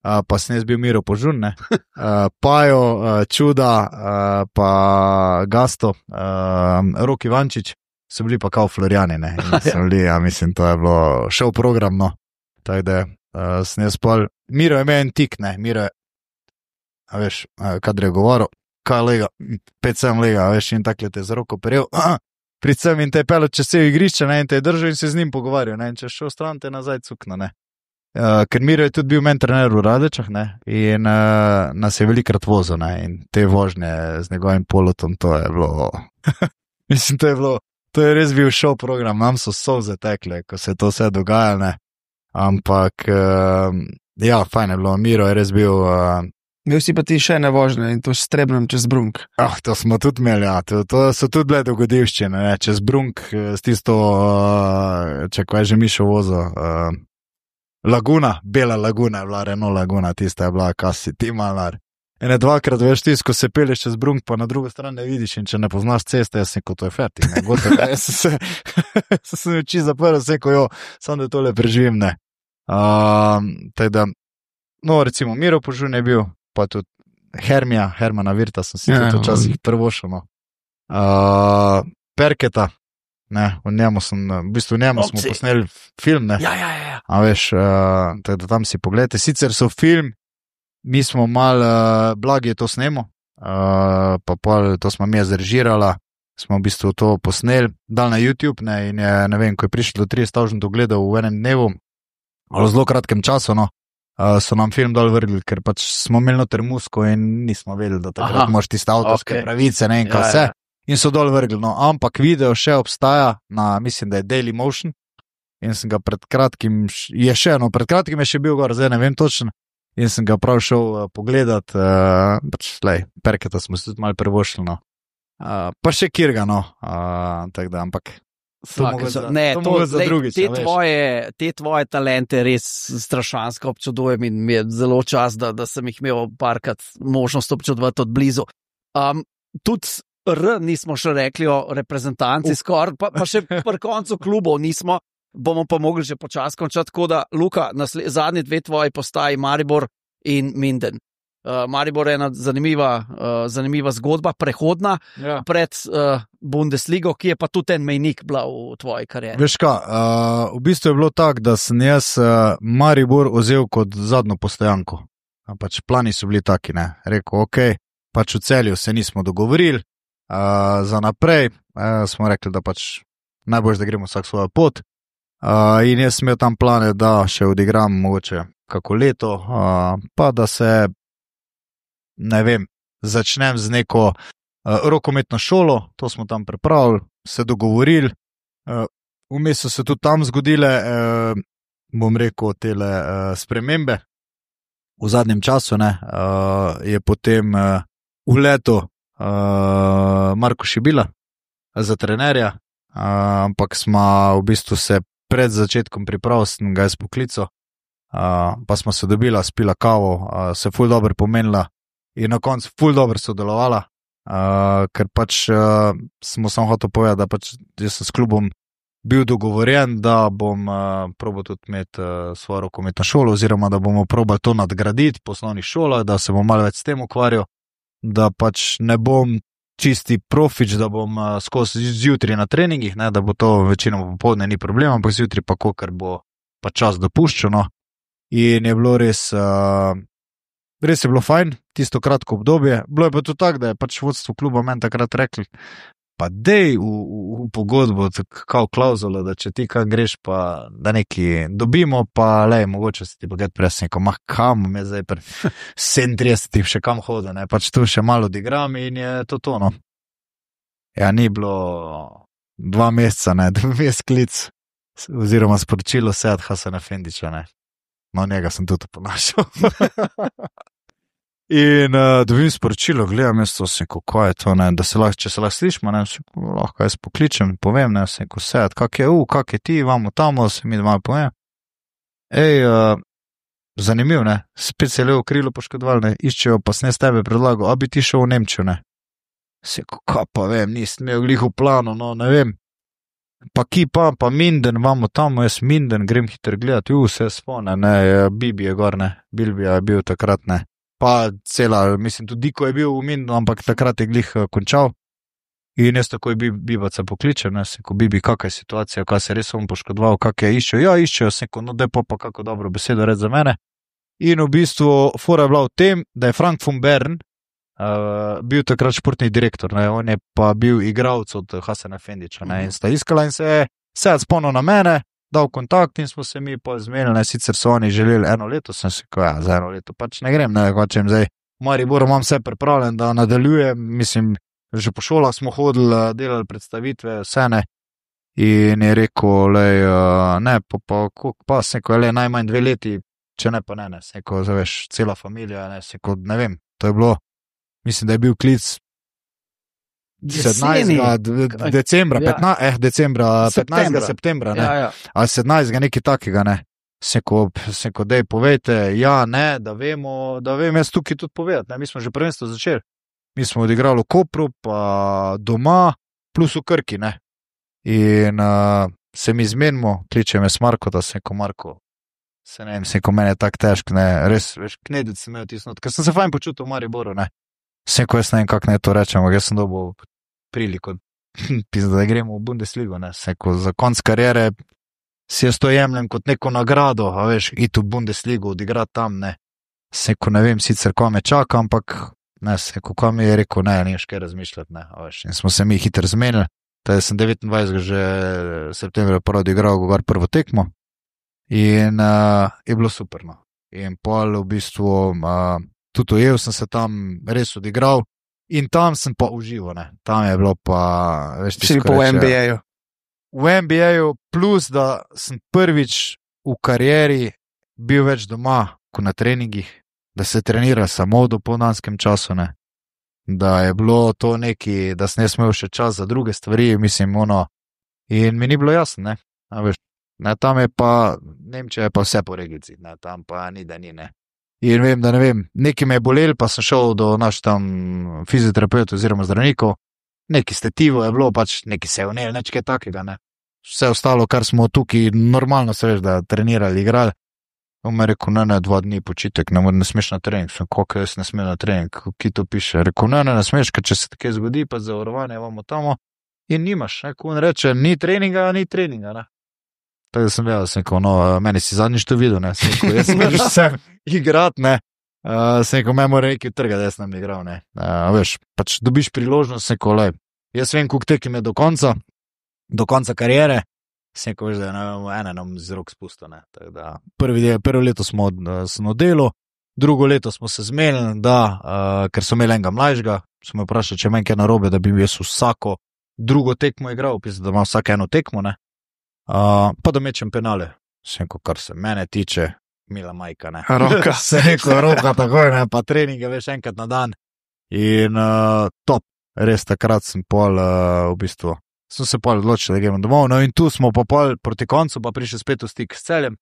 uh, pa sem jaz bil Miro Požun, ne, uh, Pajo, uh, Čuda, uh, pa Gasto, uh, Rok Ivančič, so bili pa kao Florjani, ne, in so bili, ja, mislim, to je bilo šov program, no, tako da uh, sem jaz pol, Miro je imel en tik, ne, Miro je, a veš, uh, kadar je govoril, kaj lega, pet sem lega, a veš, in takle te za roko peril, pridem in te je pelil čez vse igrišče, ne, in te je držal in se z njim pogovarjal, ne, in če šel stran, te nazaj cukno, ne. Uh, ker Miro je tudi bil men trener v Radečah, ne, in uh, nas je velikrat vozil, ne, in te vožnje z njegovim polotom, to je bilo, mislim, to je bilo, to je res bil šov program, nam so solze tekle, ko se je to vse dogajalo, ne, ampak, uh, ja, fajn je bilo, Miro je res bil, uh, Bil si pa ti še ne vožnje in to s Trebnjem čez Brunk. Ah, to smo tudi imeli, ja. To, to so tudi bile dogodivščine, ne, čez Brunk, s tisto, uh, če kaj že Mišo vozo, uh, Laguna, bela Laguna je bila, Renault Laguna, tista je bila, kasi ti malar. Ene dvakrat veš tis, ko se peleš čez Brunk, pa na drugo stran ne vidiš in če ne poznaš ceste, jaz sem kot to je fertik, ne, gotovo, jaz sem se, sem oči zaprl, sem ko jo, samo da tole preživim, ne. Uh, teda, no, recimo, Miro Požun je bil, pa tudi Hermija, Hermana Virta sem si ja, tudi včasih prvošel, no. Uh, Perketa, ne, v njemu sem, v bistvu v njemu Opci. Smo posneli film, ne. Ja, ja, ja. A veš, uh, tako da tam si pogledajte. Sicer so film, mi smo mal, uh, Blagi je to snemo, uh, pa pol to smo mi zrežirala, smo v bistvu to posneli, dal na YouTube, ne, in je, ne vem, ko je prišlo do trideset tisoč ogledov v enem dnevu, ali v zelo kratkem času, no. Uh, so nam film dol vrgli, ker pač smo imeli noter musko in nismo vedeli, da takrat moraš tiste avtorske okay. pravice, ne in kaj ja, vse. Ja. In so dol vrgli, no, ampak video še obstaja na, mislim, da je Daily Motion in sem ga pred kratkim, je še, no, pred kratkim je še bil gor, zdaj ne vem točno, in sem ga prav šel uh, pogledat, uh, pač, lej, Perketa smo se tudi malo prvošli, no. Uh, pa še Kirga, no, uh, tako da, ampak... Svaka, za, ne, to, to, lej, drugič, te, tvoje, te tvoje talente res strašansko občudujem in mi je zelo čas, da, da sem jih imel parkrat možnost občudovati od blizu. Um, tudi R nismo še rekli o reprezentanci, uh. skoraj, pa, pa še pri koncu klubov nismo, bomo pa mogli že počas končati, tako da, Luka, nasle, zadnji dve tvoji postaji Maribor in Minden. Uh, Maribor je ena zanimiva, uh, zanimiva zgodba, prehodna ja. pred uh, Bundesligo, ki je pa tudi en mejnik bila v tvoji karieri. Veš kaj, uh, v bistvu je bilo tako, da sem jaz uh, Maribor vzel kot zadnjo postojanko. Pač plani so bili taki, ne. Rekel, ok, pač v Celju se nismo dogovorili, uh, za naprej uh, smo rekli, da pač najbolj, da gremo vsak svojo pot. Uh, in jaz sem imel tam plane, da še odigram mogoče kako leto, uh, pa da se ne vem, začnem z neko uh, rokometno šolo, to smo tam pripravili, se dogovorili, uh, vmes so se tudi tam zgodile, uh, bom rekel, tele uh, spremembe v zadnjem času, ne, uh, je potem uh, v leto uh, Marko Šibila za trenerja, uh, ampak smo v bistvu se pred začetkom priprav, sem ga jaz poklical, uh, pa smo se dobila, spila kavo, uh, se ful dobro pomenila, in na koncu ful dobro sodelovala, uh, ker pač uh, smo samo hotel povedati, da pač jaz sem s klubom bil dogovorjen, da bom uh, probal tudi imeti uh, svojo rokometno šolo, oziroma da bomo probali to nadgraditi po osnovnih šolah, da se bom malo več s tem ukvarjal, da pač ne bom čisti profič, da bom uh, skozi zjutraj na treningih, ne, da bo to večino popoldne ni problem, ampak zjutraj pa kakor bo pa čas dopuščeno. In je bilo res... Uh, Res je bilo fajn, tisto kratko obdobje. Bilo je pa tudi tako, da je pač vodstvo kluba meni takrat rekli, pa dej v, v, v pogodbo, kao klauzulo, da če ti kaj greš, pa da neki dobimo, pa lej, mogoče se ti pa gledati presneko, mah kam, me zdaj pri sedemintridesetih še kam hoda, ne, pač tu še malo odigram in je to to, no. Ja, ni bilo dva meseca, ne, da mi je sklic, oziroma sporočilo Sead Hasana Fendića, ne. No, njega sem tudi ponašal. In uh, dobim sporočilo, gledam, jaz to sem, kako je to, ne, da se lahko, če se lahko slišimo, ne, lahko jaz pokličem, povem, ne, sem, ko Sead, kak je, u, kak je ti, vamo tamo, se mi malo povem. Ej, uh, zanimiv, ne, spet se je levo krilo poškodoval, ne, iščejo, pa sem s tebe predlagal, a bi ti šel v Nemčijo, ne. Se, kako pa vem, nisem imel glih v planu, no, ne vem. pa ki pa, pa Minden, vamo tam, jaz Minden, grem hitro gledati, u, vse spone, ne, Bibi je gor, ne, Bilbija je bil takrat, ne, pa cela, mislim, tudi Diko je bil v Mindenu, ampak takrat je glih končal. In jaz takoj bi, Bibaca pokličem, ne, se ko Bibi, kakaj je situacija, kaj se res on poškodoval, kak je iščejo, ja, iščejo, se ko, no, daj pa pa kako dobro besedo reči za mene. In v bistvu, fora je bila v tem, da je Frank von Bern uh, bil takrat športni direktor, ne, on je pa bil igralec od Hasana Fendiča, ne, in sta iskala in se je se spomnil na mene, dal kontakt in smo se mi pa zmenili, ne, sicer so oni želeli eno leto, sem se ko, ja, za eno leto pač ne grem, ne, hočem zdaj, v Mariboru imam vse pripravljen, da nadaljujem, mislim, že po šolah smo hodili, delali predstavitve, vse ne. In je rekel, lej, ne, pa, pa, pa se ko je le najmanj dve leti, če ne pa ne, ne, se ko, zaveš, cela familija, ne, se ko, ne vem, to je bilo, mislim, da je bil klic sedemnajstega decembra, ja. petnajstega, eh, decembra, petnajstega septembra, ne, ja, ja. Ali sedemnajstega nekaj takega, ne. Se ko, se ko, dej, povejte, ja, ne, da vemo, da vem jaz tukaj tudi povedati, ne, mi smo že prvenstvo začeli. Mi smo odigrali v Kopru, pa doma, plus v Krki, ne. In uh, se mi zmenimo, kliče me s Marko, da se ko Marko, se ne vem, se ko mene je tak težk, ne, res, veš, knedec sem imel tisnot, ker sem se fajn počutil v Mariboru, ne. Se ko jaz ne vem, kak ne to rečem, ampak jaz sem dobil priliko, da gremo v Bundesligo, ne, se ko za konc karijere si jaz to jemljem kot neko nagrado, a veš, iti v Bundesligo, odigrati tam, ne. Se ko ne vem sicer, ko me čaka, ampak ne, se, kako mi je rekel, ne, nimaš kaj razmišljati, ne, veš, in smo se mi hitro zmenili, da sem devetindvajsetega že septembra prvo odigral gor prvo tekmo in uh, je bilo super, no, in pol v bistvu, uh, tudi ujel sem se tam res odigral in tam sem pa užival, ne, tam je bilo pa, veš, si pa v N B A-ju. V N B A-ju, plus da sem prvič v karieri bil več doma, kot na treningih, da se trenira samo v dopoldanskem času, ne. Da je bilo to neki, da sem jaz imel še čas za druge stvari, mislim, ono, in mi ni bilo jasno, ne. A veš, ne, tam je pa, Nemčija je pa vse po reglici, ne, tam pa ni, da ni, ne. In vem, da ne vem, neki me je bolel, pa sem šel do naš tam fizioterapeut oziroma zdravnikov, neki stetivo je bilo, pač neki se vnel, nič kaj takega, ne. Vse ostalo, kar smo tukaj normalno se veš, da trenirali, igrali, on me je rekel, ne, ne, dva dni počitek, ne, ne smeš na trening. Sem, koliko jaz ne smem na trening, ki to piše. Rekel, ne, ne, ne smeš, ker če se tako zgodi, pa zavarovanje vamo tamo in nimaš, ne, ko on reče, ni treninga, ni treninga, ne. Tako da sem vedel, sem rekel, no, meni si zadnjič to videl, ne, sem rekel, jaz sem že sem igrat, ne, uh, sem rekel, me mora nekaj trga, da jaz nam igral, ne. Uh, veš, pač dobiš priložnost, sem rekel, lej, jaz vem, koliko tekem je do konca, do konca karijere, sem rekel, da je ena nam z rok spustil, ne. Tako da prvi del, prvo leto smo sem oddelil, drugo leto smo se zmenili, da, uh, ker so imeli enega mlajšega, smo me vprašali, če meni kaj narobe, da bi jaz vsako drugo tekmo igral, pisal, da ima vsak eno tekmo, ne. Uh, pa da mečem penale. Sem rekel, kar se mene tiče, mila majka, ne. Roka. Sem rekel, roka takoj, ne, pa treninge veš enkrat na dan. In uh, top, res takrat sem pol uh, v bistvu sem se pol odločil, da gremo domov, no in tu smo pa pol proti koncu pa prišli spet v stik s Celjem,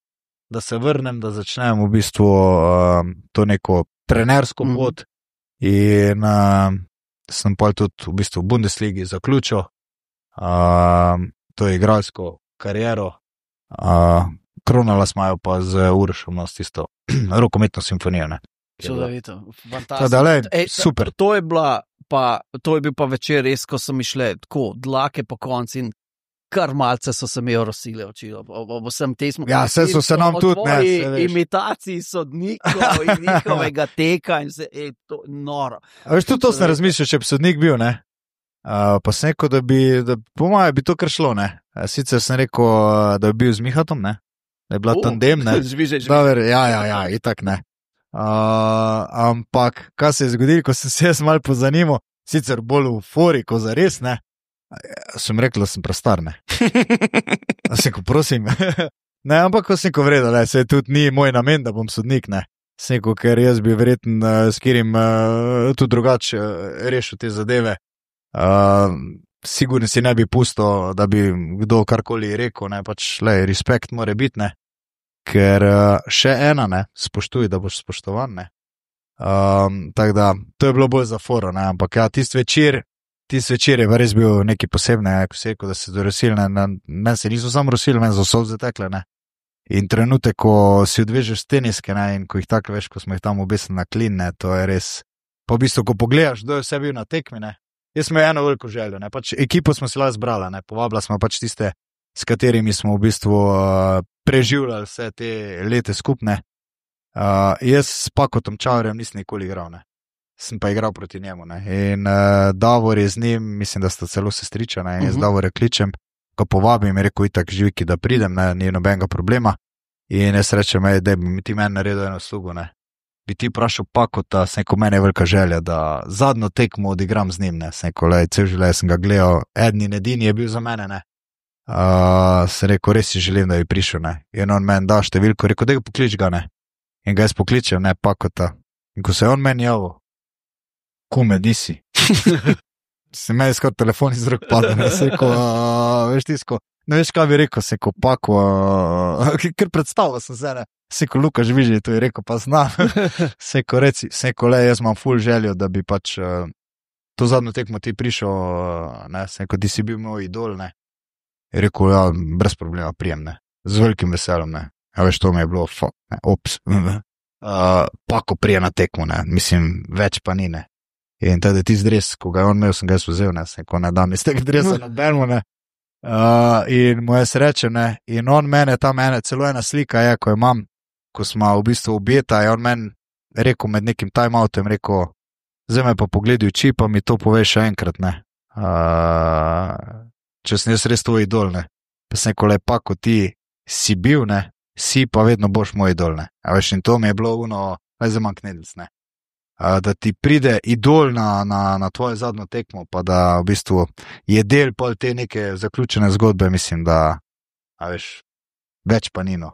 da se vrnem, da začnem v bistvu uh, to neko trenersko pot mm. in uh, sem pol tudi v bistvu v Bundesligi zaključil uh, to igralsko kariero, uh, kronala smajo pa z Urošom nas tisto rokometno simfonijo, ne. Čudovito, fantastično. Ej, super. To je bila Pa, to je bil pa večer res, ko so mi šle tako dlake po konci in kar malce so se mi orosile oči. Vsem te smo... Ja, vse so se nam tudi, ne, imitaciji sodnikov in njihovega teka in se, ej, to noro. A veš, tudi to sem razmišljal, če bi sodnik bil, ne? Uh, pa sem rekel, da bi, da, po moje bi to kar šlo, ne? Sicer sem rekel, da bi bil z Mihatom, ne? Da je bila uh, tandem, ne? Žviže, žviže. Dobar, ja, ja, ja, itak ne. Uh, ampak, kaj se je zgodilo, ko sem se jaz malo pozanimal, sicer bolj v fori, ko zares, ne, sem rekel, da sem prestar, ne. A sem ko prosim, ne, ampak ko sem ko vredel, ne, se tudi ni moj namen, da bom sodnik, ne, sem ko, ker jaz bi verjetno uh, s katerim uh, tudi drugače uh, rešil te zadeve, uh, sigurno si ne bi pustil, da bi kdo karkoli rekel, ne, pač, le, respekt mora biti, ne. Ker uh, še ena, ne, spoštuj, da boš spoštovan, ne. Um, tako da, to je bilo bolj za foro, ne, ampak ja, tist večer, ti svečer je res bil nekaj posebnega, ko se je rekel, da se dorosili, meni se niso samo rosili, meni so solze tekle, ne. In trenutek, ko si odvežeš teniske, ne, in ko jih tako veš, ko smo jih tam obesili na klin, ne, to je res, pa v bistvu, ko pogledaš, kdo je vse bil na tekmi, ne, jaz smo eno veliko željo, ne, pač ekipo smo si lahko zbrala, ne, povabila smo pač tiste, s katerimi smo v bistvu uh, preživljali vse te lete skupne. Uh, jaz s Pakotom Čaurjem nisem nikoli igral, ne. Sem pa igral proti njemu, ne. In uh, Davor je z njim, mislim, da sta celo sestriča, ne, in jaz uh -huh. Davor je kličem, ko povabim, je rekel, itak živiki, da pridem, ne, ni nobenega problema. In jaz rečem, ej, da bi ti meni naredil eno slugo, ne. Bi ti vprašal Pakota, sem rekel, meni je velika želja, da zadnjo tekmo odigram z njim, ne. Sem rekel, lej, cel življenje sem ga gledal, edni in edini je bil za mene, ne. Uh, sem rekel, res si želim, da bi prišel, ne. In on meni da številko, rekel, da ga poklič ga, ne. In ga jaz pokličem, ne, Pakota. In ko se je on meni javil, kume, di si. Se meni skoro telefon iz rok pada, ne, se rekel, uh, veš tisko, ne veš, kaj bi rekel, se rekel, Pako, uh, ker predstavil sem se, ne, se rekel, Luka Žvižej, to je rekel, pa znam, se rekel, reci, se rekel, le, jaz imam ful željo, da bi pač uh, to zadnjo tekmo ti prišel, uh, ne, se rekel, ti si bil moj idol, ne, je rekel, ja, brez problema, prijem, ne, z velikim veseljem, ne, ja, veš, to mi je bilo, fuck, ne, ops, uh, Pako prije na tekmo, ne, mislim, več pa ni, ne. In teda ti zdres, ko ga je on imel, sem ga jaz vzel, ne, se ko ne dam iz tega dresa na Belmu, ne. Uh, in mu je sreče, ne, in on mene, tam ene, celo ena slika je, ko imam, ko smo v bistvu objeta, je on meni rekel med nekim time-outem, rekel, zdaj me pa pogledi oči, pa mi to pove še enkrat, ne. Uh, če sem jaz res tvoj idol, ne. Pa sem rekel, le, Pako, ti si bil, ne, si pa vedno boš moj idol, ne. A veš, in to mi je bilo uno, le za manj knedlic, ne. Da ti pride idol na, na, na tvojo zadnjo tekmo, pa da v bistvu je del pol te neke zaključene zgodbe, mislim, da, a veš, več pa nino,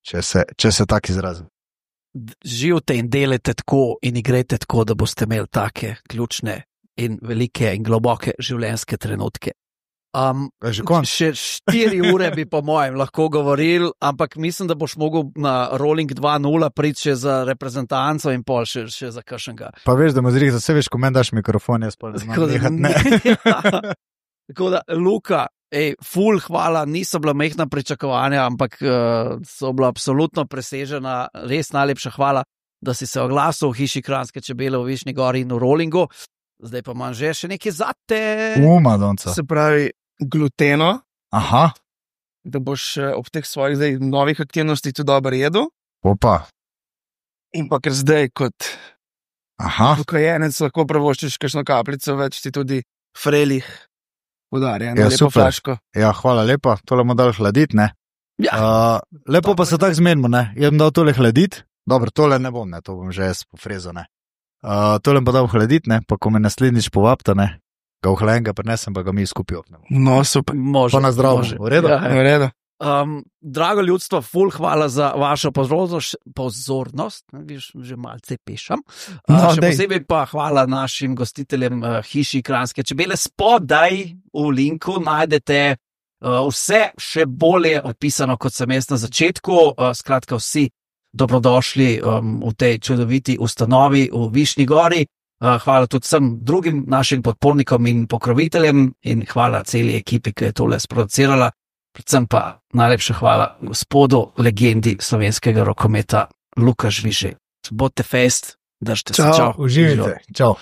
če se, če se tak izrazim. Živite in delite tako in igrajte tako, da boste imeli take ključne in velike in globoke življenjske trenutke. Um, še štiri ure bi po mojem lahko govoril, ampak mislim, da boš mogel na Rolling dva nula priti še za reprezentanco in pol še, še za kakšnega. Pa veš, da mu zrih, da se veš, ko meni daš mikrofon, jaz pa ne znam nehat, ne. Ja. Tako da, Luka, ej, ful hvala, niso bila mehna pričakovanja, ampak uh, so bila absolutno presežena, res najlepša hvala, da si se oglasil v hiši Kranjske čebele v Višnji Gori in v Rollingu. Zdaj pa imam že še nekaj zate. Uma, donca. Se pravi, gluteno. Aha. Da boš ob teh svojih zdaj novih aktivnostih tudi dobro jedel. Opa. In pa ker zdaj kot ukajenec lahko pravoščiš kakšno kapljico, več ti tudi frelih podarja na ja, lepo super. Flaško. Ja, hvala lepa, tole bomo dali hladiti, ne? Ja. Uh, lepo dobro. Pa se tako zmenimo, ne? Jaz bom dal tole hladiti, dobro, tole ne bom, ne, to bom že jaz pofrezo, ne. Uh, tole bom dal hladiti, ne, pa ko me naslednjič povabta, ne, ga ohlajenega prinesem, pa ga mi skupaj opnemo. No, super. Može. Pa na zdravo. V redu? Ja, v redu. Um, drago ljudstvo, ful hvala za vašo pozornost, pozornost, viš, že malce pešam. Uh, no, še dej. Posebej pa hvala našim gostiteljem uh, hiši Kranjske čebele. Spodaj v linku najdete uh, vse še bolje opisano, kot sem jaz na začetku. Uh, skratka, vsi dobrodošli um, v tej čudoviti ustanovi v Višnji Gori. Hvala tudi vsem drugim našim podpornikom in pokroviteljem in hvala celi ekipi, ki je tole sproducirala. Predvsem pa najlepša hvala gospodu, legendi slovenskega rokometa, Luka Žvižej. Bodite fest, držite se. Čau, uživajte. Čau.